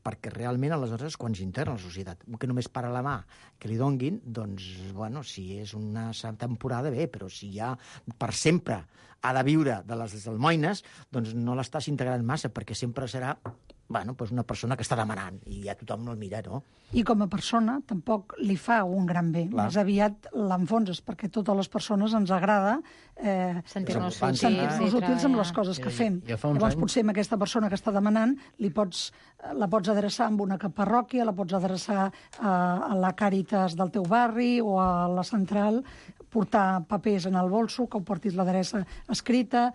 Perquè realment, aleshores, quan s'integra la societat, que només para la mà que li donguin, doncs, bueno, si és una temporada, bé, però si ja per sempre ha de viure de les almoines, doncs no l'estàs integrant massa, perquè sempre serà una persona que està demanant, i ja tothom no el mira, no? I com a persona tampoc li fa un gran bé. Més aviat l'enfonses, perquè a totes les persones ens agrada sentir-nos útils amb les coses que fem. Llavors, potser amb aquesta persona que està demanant la pots adreçar amb una parròquia, la pots adreçar a la Càritas del teu barri o a la central, portar papers en el bolso, que ho portis l'adreça escrita,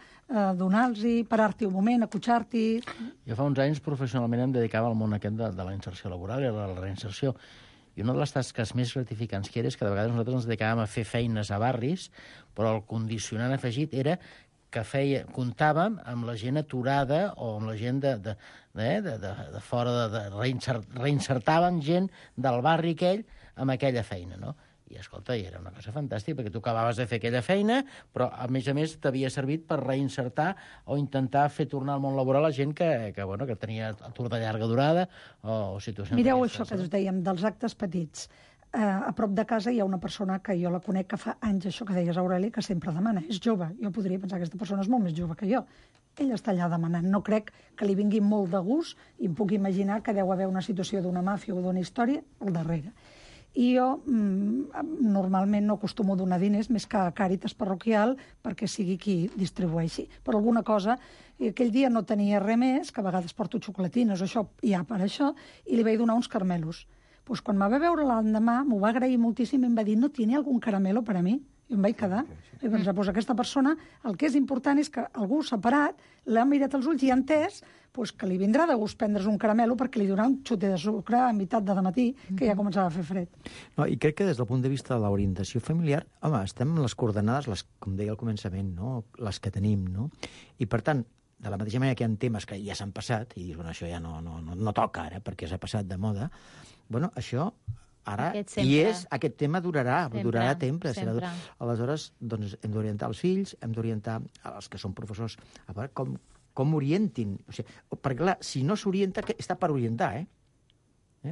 donar-los, parar-t'hi un moment, acotxar-t'hi... Jo fa uns anys professionalment em dedicava al món aquest de la inserció laboral i de la reinserció. I una de les tasques més gratificants que era és que de vegades nosaltres ens dedicàvem a fer feines a barris, però el condicionant afegit era que comptàvem amb la gent aturada o amb la gent de fora, reinsertaven gent del barri aquell amb aquella feina, no? I, escolta, era una cosa fantàstica, perquè tu acabaves de fer aquella feina, però, a més t'havia servit per reinsertar o intentar fer tornar al món laboral a gent que tenia atur de llarga durada o situacions... Mireu això que us dèiem, dels actes petits. A prop de casa hi ha una persona que jo la conec que fa anys, això que deies, Aureli, que sempre demana. És jove. Jo podria pensar que aquesta persona és molt més jove que jo. Ell està allà demanant. No crec que li vingui molt de gust i em puc imaginar que deu haver una situació d'una màfia o d'una història al darrere. I jo normalment no acostumo a donar diners més que a Càritas parroquial perquè sigui qui distribueixi. Per alguna cosa, aquell dia no tenia res més, que a vegades porto xocolatines o això, ja per això, i li vaig donar uns caramelos. Pues quan me va veure l'endemà, m'ho va agrair moltíssim i em va dir, ¿no tiene algún caramelo para mí? I em vaig quedar. I vaig pensar, pues aquesta persona, el que és important és que algú separat l'ha mirat als ulls i ha entès que li vindrà de gust prendre's un caramelo perquè li donarà un xutet de sucre a meitat de dematí, que ja començava a fer fred. No, i crec que des del punt de vista de l'orientació familiar, home, estem en les coordenades, com deia al començament, no? Les que tenim, no? I per tant, de la mateixa manera que hi ha temes que ja s'han passat, i dius, bueno, això ja no toca ara, perquè s'ha passat de moda, bueno, això ara aquest tema durarà temps. Aleshores, doncs, hem d'orientar els fills, hem d'orientar els que són professors, a veure com orientin. O sigui, perquè, clar, si no s'orienta, està per orientar,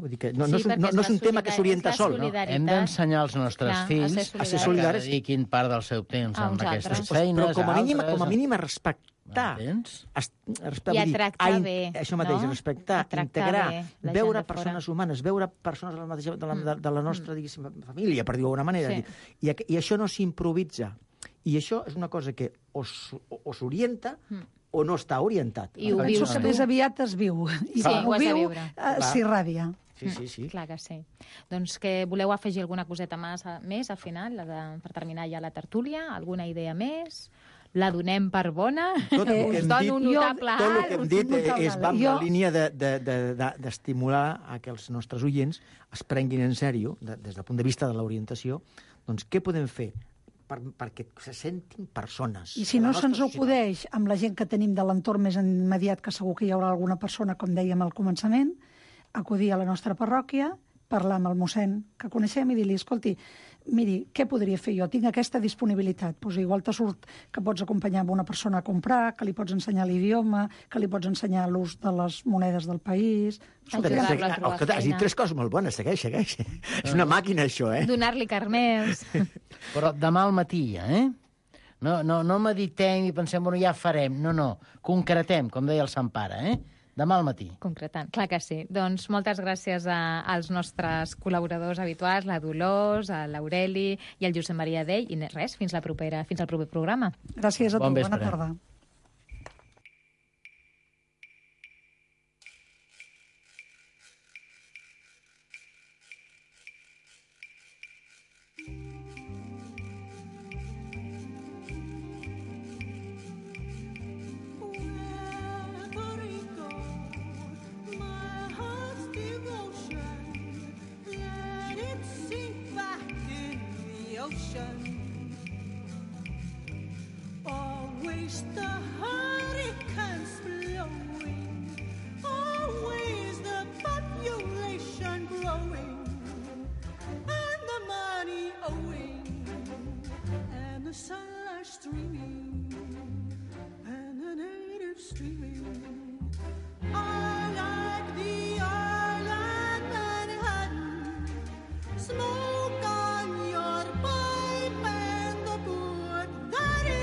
Vull dir que no és un tema que s'orienta sol. No? Hem d'ensenyar als nostres fills a ser solidaris, que dediquin part del seu temps amb aquestes feines. Però com a mínim a respectar. I a tractar bé. Això mateix, respectar, integrar, veure persones humanes, veure persones de la nostra família, per dir-ho d'alguna manera. I això no s'improvisa. I això és una cosa que o s'orienta o no està orientat. I ho vius, que més aviat es viu. I quan ho viu, s'irradia. Sí. Clar que sí. Doncs que voleu afegir alguna coseta més al final, per terminar ja la tertúlia? Alguna idea més? La donem per bona? Us dono un notable alt? Tot el que hem dit va en la línia d'estimular a que els nostres oients es prenguin en sèrio, des del punt de vista de l'orientació, doncs què podem fer perquè se sentin persones. I si no se'ns acudeix amb la gent que tenim de l'entorn més immediat, que segur que hi haurà alguna persona, com dèiem al començament, acudir a la nostra parròquia, parlar amb el mossèn que coneixem i dir-li, escolti, miri, què podria fer jo? Tinc aquesta disponibilitat. Pues igual te surt que pots acompanyar amb una persona a comprar, que li pots ensenyar l'idioma, que li pots ensenyar l'ús de les monedes del país. Has dit 3 coses molt bones, segueix. És una màquina, això, Donar-li carners. Però demà al matí, No meditem i pensem, bueno, ja farem. No, concretem, com deia el Sant Pare, Demà al matí. Concretant, clar que sí. Doncs moltes gràcies als nostres col·laboradors habituals, la Dolors, l'Aureli i el Josep Maria Dell. I res, fins al proper programa. Gràcies a tu, bona tarda. Always the hurricanes blowing, always the population growing, and the money owing, and the sunlight streaming, and the natives streaming. I like the island Manhattan, smoke on your pipe and the good that is.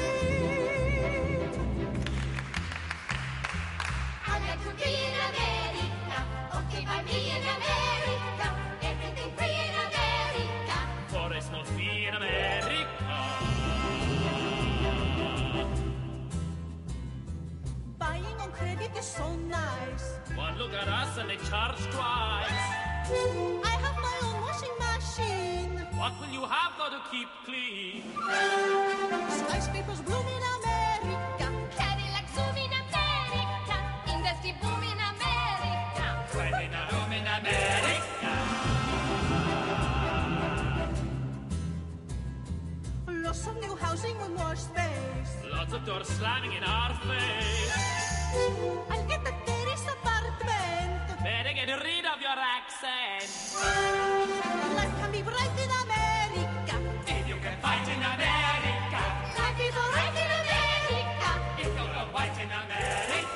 I like to be in America, okay, by me in America, everything free in America. For it's not free in America. Buying on credit is so nice. One look at us and they charge twice. I have my own washing machine. What will you have got to keep clean? Skyscrapers bloom in America. Cadillac zoom in America. Industry boom in America. Right in a room in America. Lots of new housing with more space. Lots of doors slamming in our face. I'll get the terrace apartment. Better get rid of your accent. Life can be bright in America. If you can fight in America. Life is alright in America. If you're a white in America.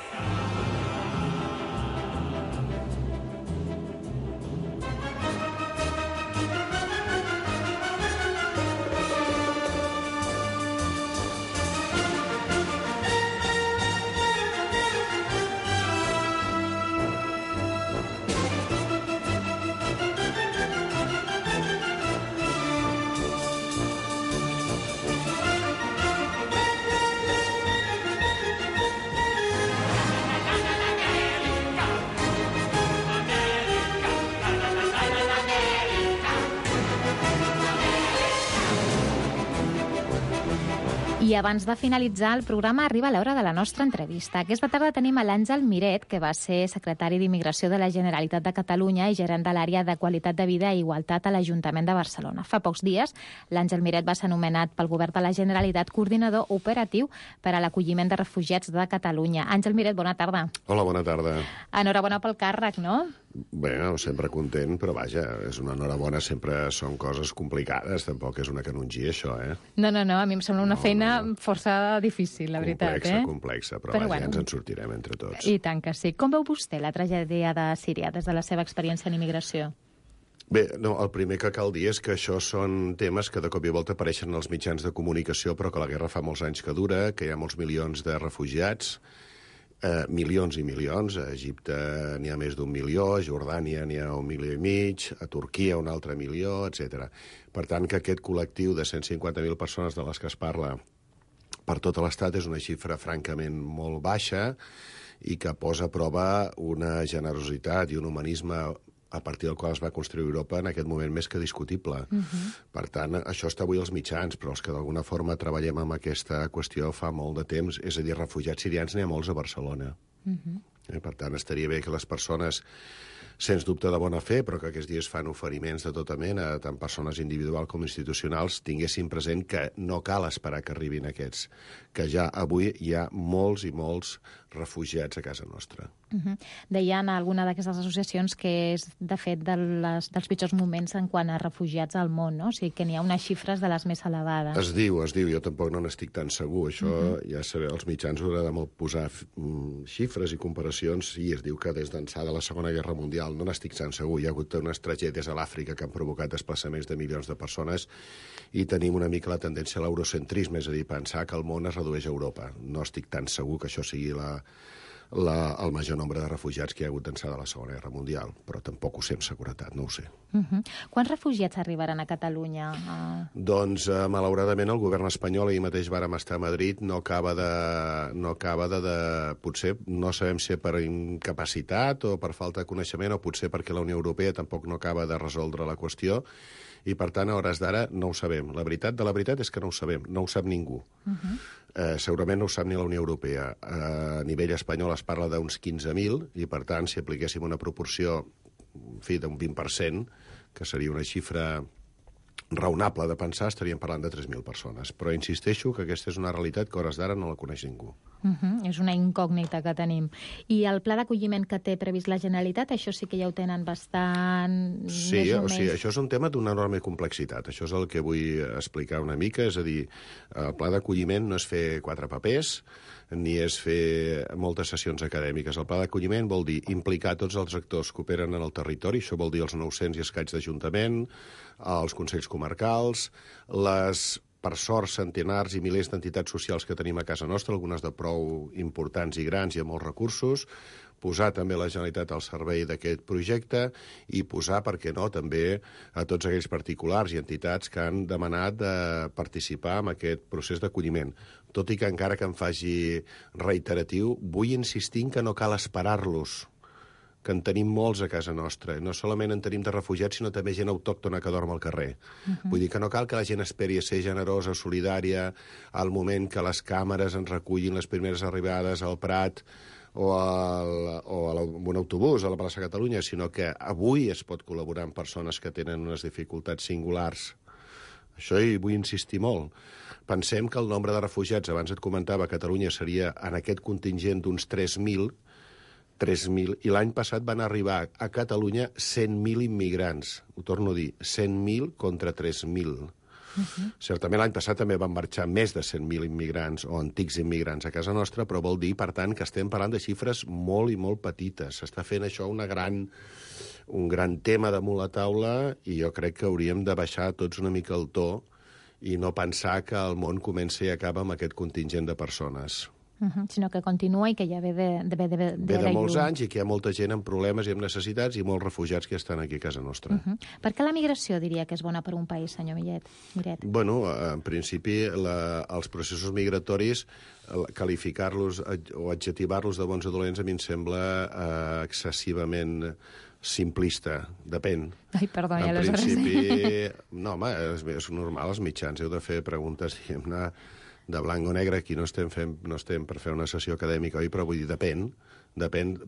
I abans de finalitzar el programa arriba l'hora de la nostra entrevista. Aquesta tarda tenim a l'Àngel Miret, que va ser secretari d'Immigració de la Generalitat de Catalunya i gerent de l'àrea de qualitat de vida i igualtat a l'Ajuntament de Barcelona. Fa pocs dies, l'Àngel Miret va ser anomenat pel Govern de la Generalitat coordinador operatiu per a l'acolliment de refugiats de Catalunya. Àngel Miret, bona tarda. Hola, bona tarda. Enhorabona pel càrrec, no? Bueno, sempre content, però vaja, és una enhorabona, sempre són coses complicades, tampoc és una canongia, això, No, a mi em sembla una feina força difícil, la veritat, Complexa, però vaja, ens en sortirem entre tots. I tant que sí. Com veu vostè la tragèdia de Síria des de la seva experiència en immigració? Bé, no, el primer que cal dir és que això són temes que de cop i volta apareixen als mitjans de comunicació, però que la guerra fa molts anys que dura, que hi ha molts milions de refugiats, milions i milions. A Egipte n'hi ha més d'1 milió, a Jordània n'hi ha 1,5 milions, a Turquia 1 altre milió, etc. Per tant, que aquest col·lectiu de 150.000 persones de les que es parla per tot l'estat és una xifra francament molt baixa i que posa a prova una generositat i un humanisme a partir del qual es va construir Europa en aquest moment més que discutible. Per tant, això està avui als mitjans, però els que d'alguna forma treballem amb aquesta qüestió fa molt de temps, és a dir, refugiats sirians n'hi ha molts a Barcelona. Per tant, estaria bé que les persones, sens dubte de bona fe, però que aquests dies fan oferiments de tota mena, tant persones individuals com institucionals, tinguessin present que no cal esperar que arribin aquests, que ja avui hi ha molts i molts refugiats a casa nostra. Deien alguna d'aquestes associacions que és, de fet, dels pitjors moments en quant a refugiats al món, no? O sigui, que n'hi ha unes xifres de les més elevades. Es diu, jo tampoc no n'estic tan segur. Això ja sabeu, els mitjans haurà de posar xifres i comparacions, i es diu que des d'ençà de la Segona Guerra Mundial, no n'estic tan segur, hi ha hagut unes tragèdies a l'Àfrica que han provocat desplaçaments de milions de persones i tenim una mica la tendència a l'eurocentrisme, és a dir, pensar que el món es redueix a Europa. No estic tan segur que això sigui el major nombre de refugiats que hi ha hagut d'ençà de la Segona Guerra Mundial, però tampoc ho sé amb seguretat, no ho sé. Quants refugiats arribaran a Catalunya? Doncs, malauradament, el govern espanyol, ahir mateix vàrem estar a Madrid, no acaba de... Potser no sabem si per incapacitat o per falta de coneixement o potser perquè la Unió Europea tampoc no acaba de resoldre la qüestió i, per tant, a hores d'ara no ho sabem. La veritat és que no ho sabem, no ho sap ningú. Segurament no ho sap ni la Unió Europea. A nivell espanyol es parla d'uns 15.000 i, per tant, si apliquéssim una proporció, en fi, d'un 20%, que seria una xifra raonable de pensar, estaríem parlant de 3.000 persones. Però insisteixo que aquesta és una realitat que a hores d'ara no la coneix ningú. És una incògnita que tenim. I el pla d'acolliment que té previst la Generalitat, això sí que ja ho tenen bastant... Sí, això és un tema d'una enorme complexitat. Això és el que vull explicar una mica. És a dir, el pla d'acolliment no és fer 4 papers, ni és fer moltes sessions acadèmiques. El pla d'acolliment vol dir implicar tots els actors que operen en el territori, això vol dir els 900 i escaig d'Ajuntament, els consells comarcals, per sort, centenars i milers d'entitats socials que tenim a casa nostra, algunes de prou importants i grans i amb molts recursos, posar també la Generalitat al servei d'aquest projecte i posar, per què no, també a tots aquells particulars i entitats que han demanat de participar en aquest procés d'acolliment. Tot i que encara que em faci reiteratiu, vull insistir que no cal esperar-los, que en tenim molts a casa nostra. No solament en tenim de refugiats, sinó també gent autòctona que dorm al carrer. Vull dir que no cal que la gent esperi a ser generosa, solidària, al moment que les càmeres ens recullin les primeres arribades al Prat o amb un autobús a la plaça Catalunya, sinó que avui es pot col·laborar amb persones que tenen unes dificultats singulars. Això hi vull insistir molt. Pensem que el nombre de refugiats, abans et comentava, a Catalunya seria en aquest contingent d'uns 3.000, i l'any passat van arribar a Catalunya 100.000 immigrants. Ho torno a dir, 100.000 contra 3.000. Certament l'any passat també van marxar més de 100.000 immigrants o antics immigrants a casa nostra, però vol dir, per tant, que estem parlant de xifres molt i molt petites. S'està fent això un gran tema damunt la taula i jo crec que hauríem de baixar tots una mica el to i no pensar que el món comença i acaba amb aquest contingent de persones. Sinó que continua i que ja ve de molts anys i que hi ha molta gent amb problemes i amb necessitats i molts refugiats que estan aquí a casa nostra. Per què la migració diria que és bona per un país, senyor Miret? Bueno, en principi, els processos migratoris, qualificar-los o adjetivar-los de bons o dolents a mi em sembla excessivament simplista, depèn. Ai, perdó, ja en les principi, no, home, és normal, els mitjans heu de fer preguntes, diguem-ne, de blanc o negre, aquí no estem per fer una sessió acadèmica, oi? Però vull dir, depèn,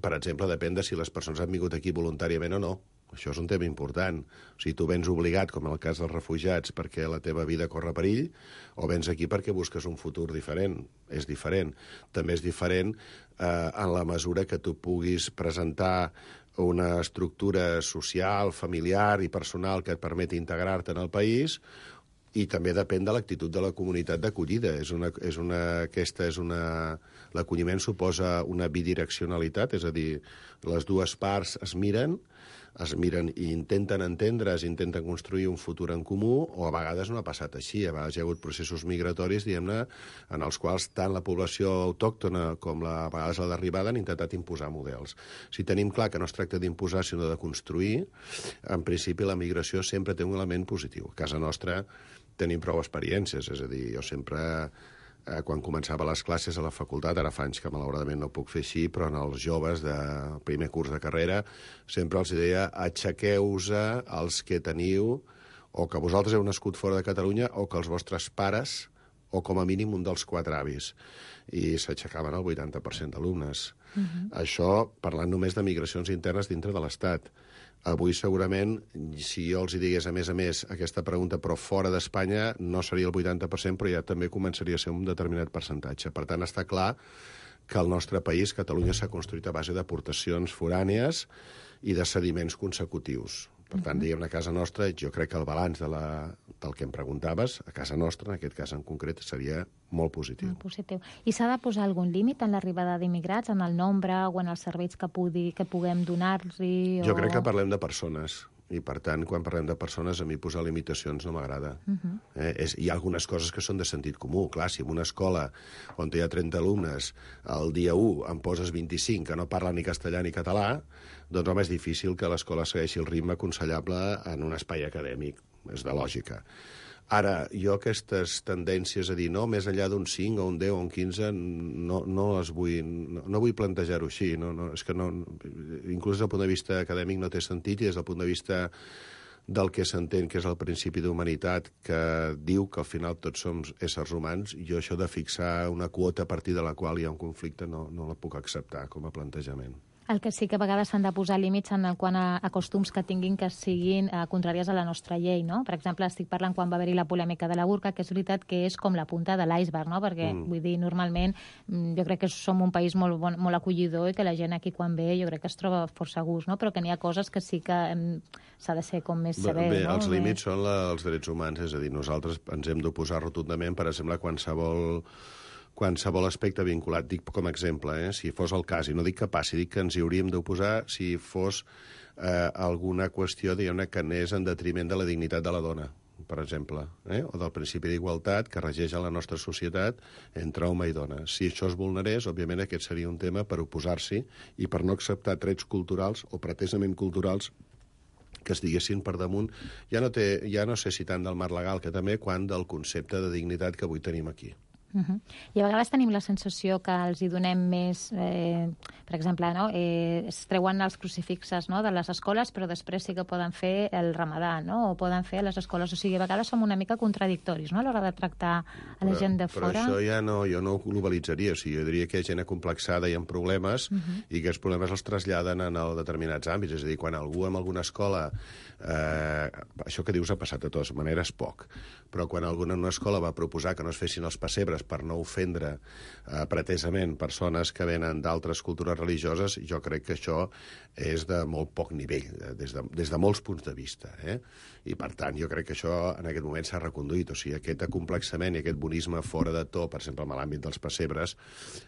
per exemple, depèn de si les persones han vingut aquí voluntàriament o no. Això és un tema important. O sigui, tu vens obligat, com en el cas dels refugiats, perquè la teva vida corre perill, o vens aquí perquè busques un futur diferent. És diferent. També és diferent en la mesura que tu puguis presentar una estructura social, familiar i personal que et permeti integrar-te en el país, i també depèn de l'actitud de la comunitat d'acollida. L'acolliment suposa una bidireccionalitat, és a dir, les dues parts es miren i intenten entendre's, intenten construir un futur en comú, o a vegades no ha passat així. A vegades hi ha hagut processos migratoris, diguem-ne, en els quals tant la població autòctona com a vegades la d'arribada han intentat imposar models. Si tenim clar que no es tracta d'imposar, sinó de construir, en principi la migració sempre té un element positiu. A casa nostra tenim prou experiències, és a dir, jo sempre, quan començava les classes a la facultat, ara fa anys que malauradament no puc fer així, però en els joves de primer curs de carrera sempre els deia: aixequeu-vos els que teniu, o que vosaltres heu nascut fora de Catalunya, o que els vostres pares, o com a mínim un dels 4 avis. I s'aixecaven el 80% d'alumnes. Això parlant només de migracions internes dintre de l'Estat. Avui, segurament, si jo els hi digués, a més, aquesta pregunta, però fora d'Espanya, no seria el 80%, però ja també començaria a ser un determinat percentatge. Per tant, està clar que el nostre país, Catalunya, s'ha construït a base d'aportacions forànies i de sediments consecutius. Per tant, diguem-ne, a casa nostra, jo crec que el balanç del que em preguntaves, a casa nostra, en aquest cas en concret, seria molt positiu. Molt positiu. I s'ha de posar algun límit en l'arribada d'immigrats, en el nombre o en els serveis que puguem donar-los? Jo crec que parlem de persones. I, per tant, quan parlem de persones, a mi posar limitacions no m'agrada. Hi ha algunes coses que són de sentit comú. Clar, si en una escola on hi ha 30 alumnes, el dia 1 en poses 25 que no parlen ni castellà ni català, doncs, home, és difícil que l'escola segueixi el ritme aconsellable en un espai acadèmic. És de lògica. Ara, jo aquestes tendències a dir no, més enllà d'un 5 o un 10 o un 15, no les vull, no vull plantejar-ho així. És que no, inclús des del punt de vista acadèmic no té sentit, i des del punt de vista del que s'entén que és el principi d'humanitat, que diu que al final tots som éssers humans, jo això de fixar una quota a partir de la qual hi ha un conflicte no la puc acceptar com a plantejament. El que sí que a vegades s'han de posar límits en quant a costums que tinguin que siguin contràries a la nostra llei, no? Per exemple, estic parlant quan va haver-hi la polèmica de la burca, que és veritat que és com la punta de l'iceberg, no? Perquè, vull dir, normalment jo crec que som un país molt acollidor i que la gent aquí quan ve jo crec que es troba força a gust, no? Però que n'hi ha coses que sí que s'ha de ser com més sever, no? Els límits són els drets humans, és a dir, nosaltres ens hem d'oposar rotundament, per exemple, qualsevol aspecte vinculat, dic com a exemple, si fos el cas, i no dic que passi, dic que ens hi hauríem d'oposar si fos alguna qüestió, diguem-ne, que anés en detriment de la dignitat de la dona, per exemple, o del principi d'igualtat que regeix a la nostra societat entre home i dona. Si això es vulnerés, òbviament aquest seria un tema per oposar-s'hi i per no acceptar trets culturals o pretesament culturals que es diguessin per damunt, ja no sé si tant del marc legal que també, quan del concepte de dignitat que avui tenim aquí. I a vegades tenim la sensació que els hi donem més, per exemple, no? Es treuen els crucifixes, no? De les escoles, però després sí que poden fer el ramadà, no? O poden fer a les escoles. O sigui, a vegades som una mica contradictoris, no? A l'hora de tractar a la gent de fora. Però això jo no ho globalitzaria. O sigui, jo diria que hi ha gent acomplexada i amb problemes i que els problemes els traslladen en determinats àmbits. És a dir, quan algú en alguna escola... això que dius ha passat de totes maneres poc, però quan algú en una escola va proposar que no es fessin els pessebres per no ofendre pretesament persones que venen d'altres cultures religioses, jo crec que això és de molt poc nivell, des de molts punts de vista. I, per tant, jo crec que això en aquest moment s'ha reconduït. O sigui, aquest acomplexament i aquest bonisme fora de to, per exemple, en l'àmbit dels pessebres,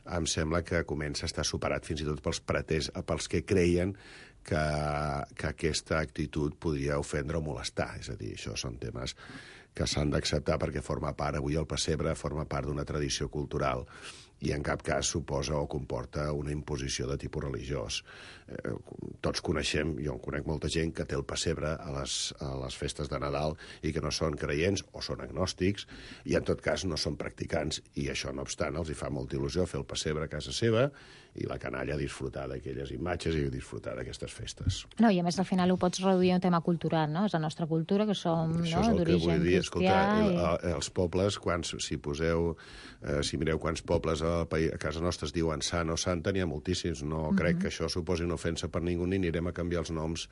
em sembla que comença a estar superat fins i tot pels que creien que aquesta actitud podria ofendre o molestar. És a dir, això són temes que s'han d'acceptar perquè forma part, avui el pessebre forma part d'una tradició cultural i en cap cas suposa o comporta una imposició de tipus religiós. Tots coneixem, jo en conec molta gent que té el pessebre a les festes de Nadal i que no són creients o són agnòstics i en tot cas no són practicants i això no obstant els hi fa molta il·lusió fer el pessebre a casa seva i la canalla disfrutar d'aquelles imatges i disfrutar d'aquestes festes. No, i a més al final ho pots reduir a un tema cultural, no? És la nostra cultura, que som d'origen cristià. Els pobles, si mireu quants pobles a casa nostra es diuen sant o santa, n'hi ha moltíssims. No crec que això suposi una ofensa per ningú ni anirem a canviar els noms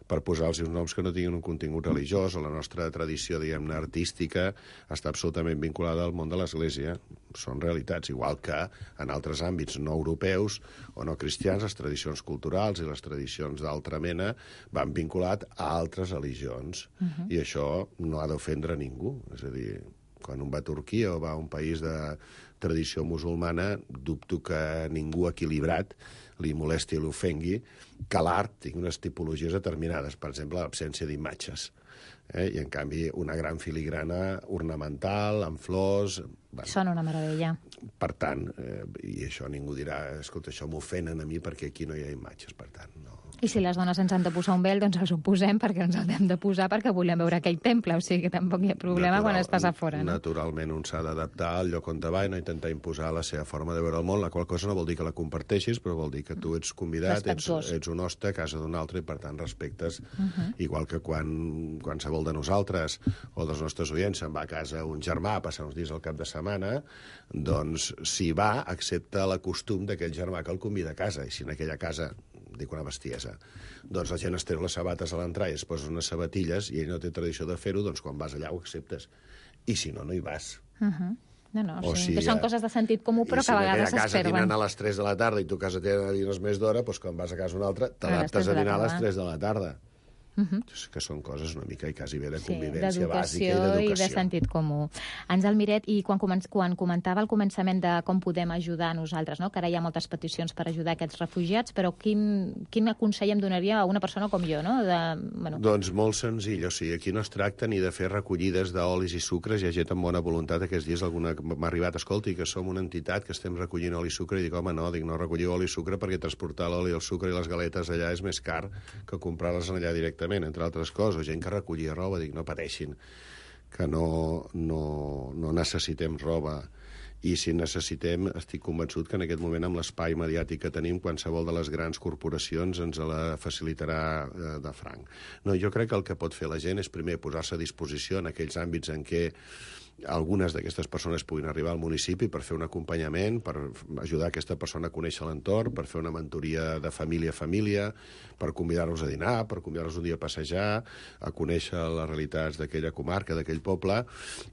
per posar-los uns noms que no tinguin un contingut religiós, o la nostra tradició, diguem-ne, artística està absolutament vinculada al món de l'Església. Són realitats, igual que en altres àmbits no europeus o no cristians, les tradicions culturals i les tradicions d'altra mena van vinculat a altres religions. I això no ha d'ofendre ningú. És a dir, quan un va a Turquia o va a un país de tradició musulmana, dubto que ningú equilibrat li molesti i l'ofengui que l'art tingui unes tipologies determinades, per exemple, l'absència d'imatges. I, en canvi, una gran filigrana ornamental, amb flors... Bueno, són una meravella. Per tant, i això ningú dirà, escolta, això m'ofenen a mi perquè aquí no hi ha imatges, per tant, no. I si les dones ens han de posar un vel, doncs els ho posem perquè ens el hem de posar perquè volem veure aquell temple, o sigui que tampoc hi ha problema quan estàs a fora, no? Naturalment, un s'ha d'adaptar al lloc on va i no intentar imposar la seva forma de veure el món, la qual cosa no vol dir que la comparteixis, però vol dir que tu ets convidat, ets un hoste a casa d'un altre i, per tant, respectes. Igual que quan qualsevol de nosaltres o dels nostres oients se'n va a casa un germà a passar uns dies al cap de setmana, doncs s'hi va, accepta la costum d'aquell germà que el convida a casa, i si en aquella casa dic una bestiesa, doncs la gent es treu les sabates a l'entrar i es posa unes sabatilles i ell no té tradició de fer-ho, doncs quan vas allà ho acceptes. I si no, no hi vas. No, sí, que són coses de sentit comú, però que a vegades s'esperven. Si a casa a les 3 de la tarda i tu a casa tens més d'hora, doncs quan vas a casa una altra, t'adaptes a dinar a les 3 de la tarda. Que són coses una mica i quasi bé de convivència bàsica i d'educació. I de sentit comú. Àngel Miret, i quan comentava al començament de com podem ajudar nosaltres, no? Que ara hi ha moltes peticions per ajudar aquests refugiats, però quin consell em donaria a una persona com jo? No? Doncs molt senzill. O sigui, aquí no es tracta ni de fer recollides d'olis i sucres. Hi ha gent amb bona voluntat. Aquests dies alguna m'ha arribat, escolti, que som una entitat que estem recollint oli i sucre, i dic, home, no recolliu oli i sucre perquè transportar l'oli, el sucre i les galetes allà és més car que comprar-les allà directament, entre altres coses. Gent que recollia roba, dic, no pateixin, que no necessitem roba. I si necessitem, estic convençut que en aquest moment, amb l'espai mediàtic que tenim, qualsevol de les grans corporacions ens la facilitarà de franc. No, jo crec que el que pot fer la gent és primer posar-se a disposició en aquells àmbits en què algunes d'aquestes persones puguin arribar al municipi per fer un acompanyament, per ajudar aquesta persona a conèixer l'entorn, per fer una mentoria de família a família, per convidar-los a dinar, per convidar-los un dia a passejar, a conèixer les realitats d'aquella comarca, d'aquell poble,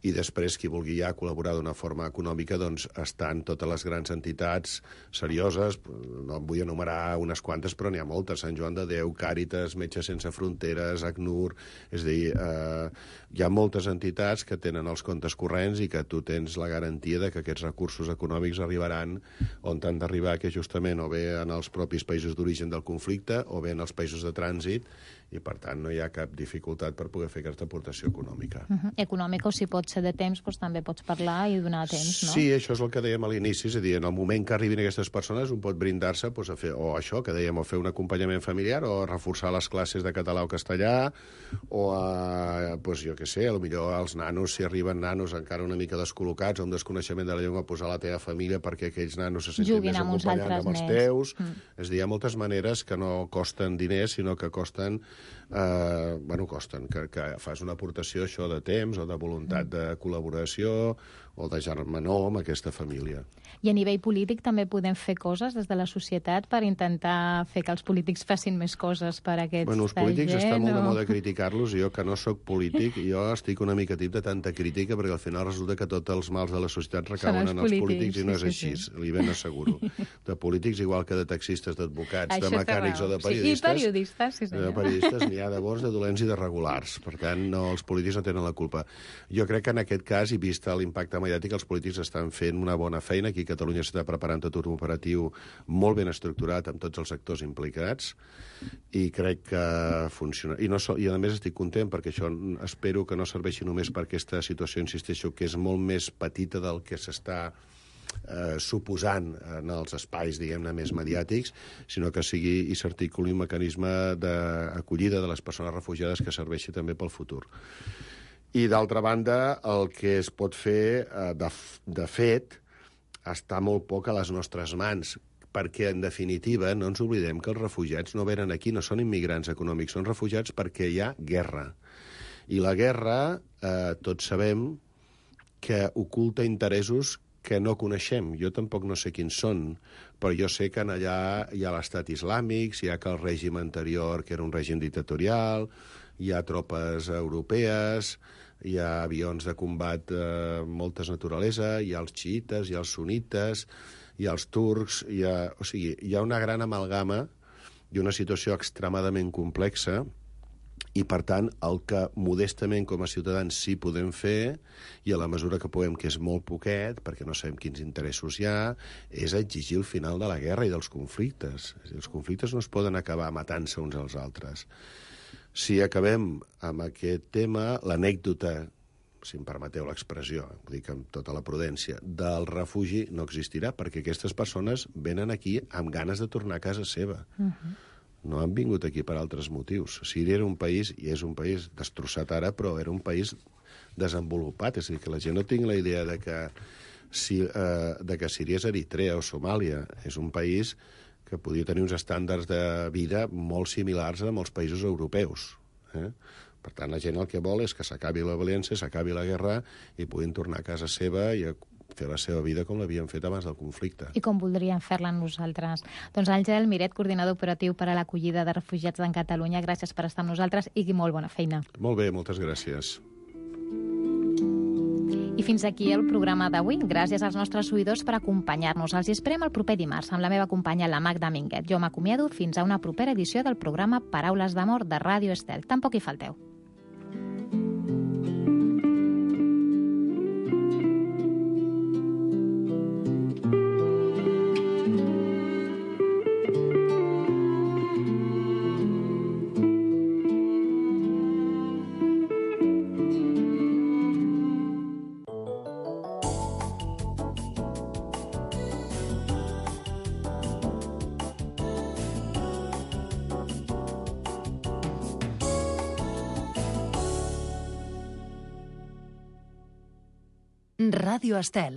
i després qui vulgui ja col·laborar d'una forma econòmica, doncs estan totes les grans entitats serioses, no en vull enumerar unes quantes, però n'hi ha moltes, Sant Joan de Déu, Càritas, Metges Sense Fronteres, ACNUR, és a dir, hi ha moltes entitats que tenen els comptes corrents i que tu tens la garantia de que aquests recursos econòmics arribaran on han d'arribar, que justament o bé en els propis països d'origen del conflicte o bé en els països de trànsit, i per tant no hi ha cap dificultat per poder fer aquesta aportació econòmica. Econòmica, o si pot ser de temps, doncs també pots parlar i donar temps, no? Sí, això és el que dèiem a l'inici, és a dir, en el moment que arribin aquestes persones un pot brindar-se a fer, o això que dèiem, o fer un acompanyament familiar, o reforçar les classes de català o castellà, o jo què sé, potser als nanos, si arriben nanos encara una mica descol·locats o amb desconeixement de la llengua, posar la teva família perquè aquells nanos se sentin més acompanyats amb els teus. És a dir, hi ha moltes maneres que no costen diners, sinó que costen que fas una aportació això de temps o de voluntat de col·laboració o de germanor amb aquesta família. I a nivell polític també podem fer coses des de la societat per intentar fer que els polítics facin més coses per a aquests els polítics està molt de moda criticar-los, i jo que no sóc polític, jo estic una mica tip de tanta crítica perquè al final resulta que tots els mals de la societat recauen en els polítics i no és així, li ben asseguro. De polítics igual que de taxistes, d'advocats, de mecànics o de periodistes. I periodistes, sí senyor. De periodistes n'hi ha de bons, de dolents i de regulars. Per tant, els polítics no tenen la culpa. Jo crec que en aquest cas, i vist l'impacte mediàtic, els polítics estan fent una bona feina. Aquí a Catalunya s'està preparant tot un operatiu molt ben estructurat amb tots els actors implicats i crec que funciona. I a més estic content perquè això espero que no serveixi només per aquesta situació, insisteixo, que és molt més petita del que s'està suposant en els espais, diguem-ne, més mediàtics, sinó que sigui i s'articuli un mecanisme d'acollida de les persones refugiades que serveixi també pel futur. I, d'altra banda, el que es pot fer, de fet, està molt poc a les nostres mans, perquè, en definitiva, no ens oblidem que els refugiats no venen aquí, no són immigrants econòmics, són refugiats perquè hi ha guerra. I la guerra, tots sabem, que oculta interessos que no coneixem. Jo tampoc no sé quins són, però jo sé que allà hi ha l'estat islàmic, hi ha que el règim anterior, que era un règim dictatorial, hi ha tropes europees, hi ha avions de combat de moltes naturalesa, hi ha els xiites, hi ha els sunites, hi ha els turcs, hi ha una gran amalgama i una situació extremadament complexa, i, per tant, el que modestament com a ciutadans sí podem fer, i a la mesura que puguem, que és molt poquet, perquè no sabem quins interessos hi ha, és exigir el final de la guerra i dels conflictes. És a dir, els conflictes no es poden acabar matant-se uns als altres. Si acabem amb aquest tema, l'anècdota, si em permeteu l'expressió, ho dic amb tota la prudència, del refugi no existirà, perquè aquestes persones venen aquí amb ganes de tornar a casa seva. No han vingut aquí per altres motius. Síria era un país, i és un país destrossat ara, però era un país desenvolupat. És a dir, que la gent no tingui la idea de que Síria és Eritrea o Somàlia. És un país que podia tenir uns estàndards de vida molt similars a molts països europeus. Per tant, la gent el que vol és que s'acabi la violència, s'acabi la guerra i puguin tornar a casa seva i a fer la seva vida com l'havien fet abans del conflicte. I com voldríem fer-la nosaltres. Doncs Àngel Miret, coordinador operatiu per a l'acollida de refugiats en Catalunya, gràcies per estar amb nosaltres i molt bona feina. Molt bé, moltes gràcies. I fins aquí el programa d'avui. Gràcies als nostres oïdors per acompanyar-nos. Els esperem el proper dimarts amb la meva companya, la Magda Minguet. Jo m'acomiado fins a una propera edició del programa Paraules d'amor de Ràdio Estel. Tampoc hi falteu. Ràdio Estel.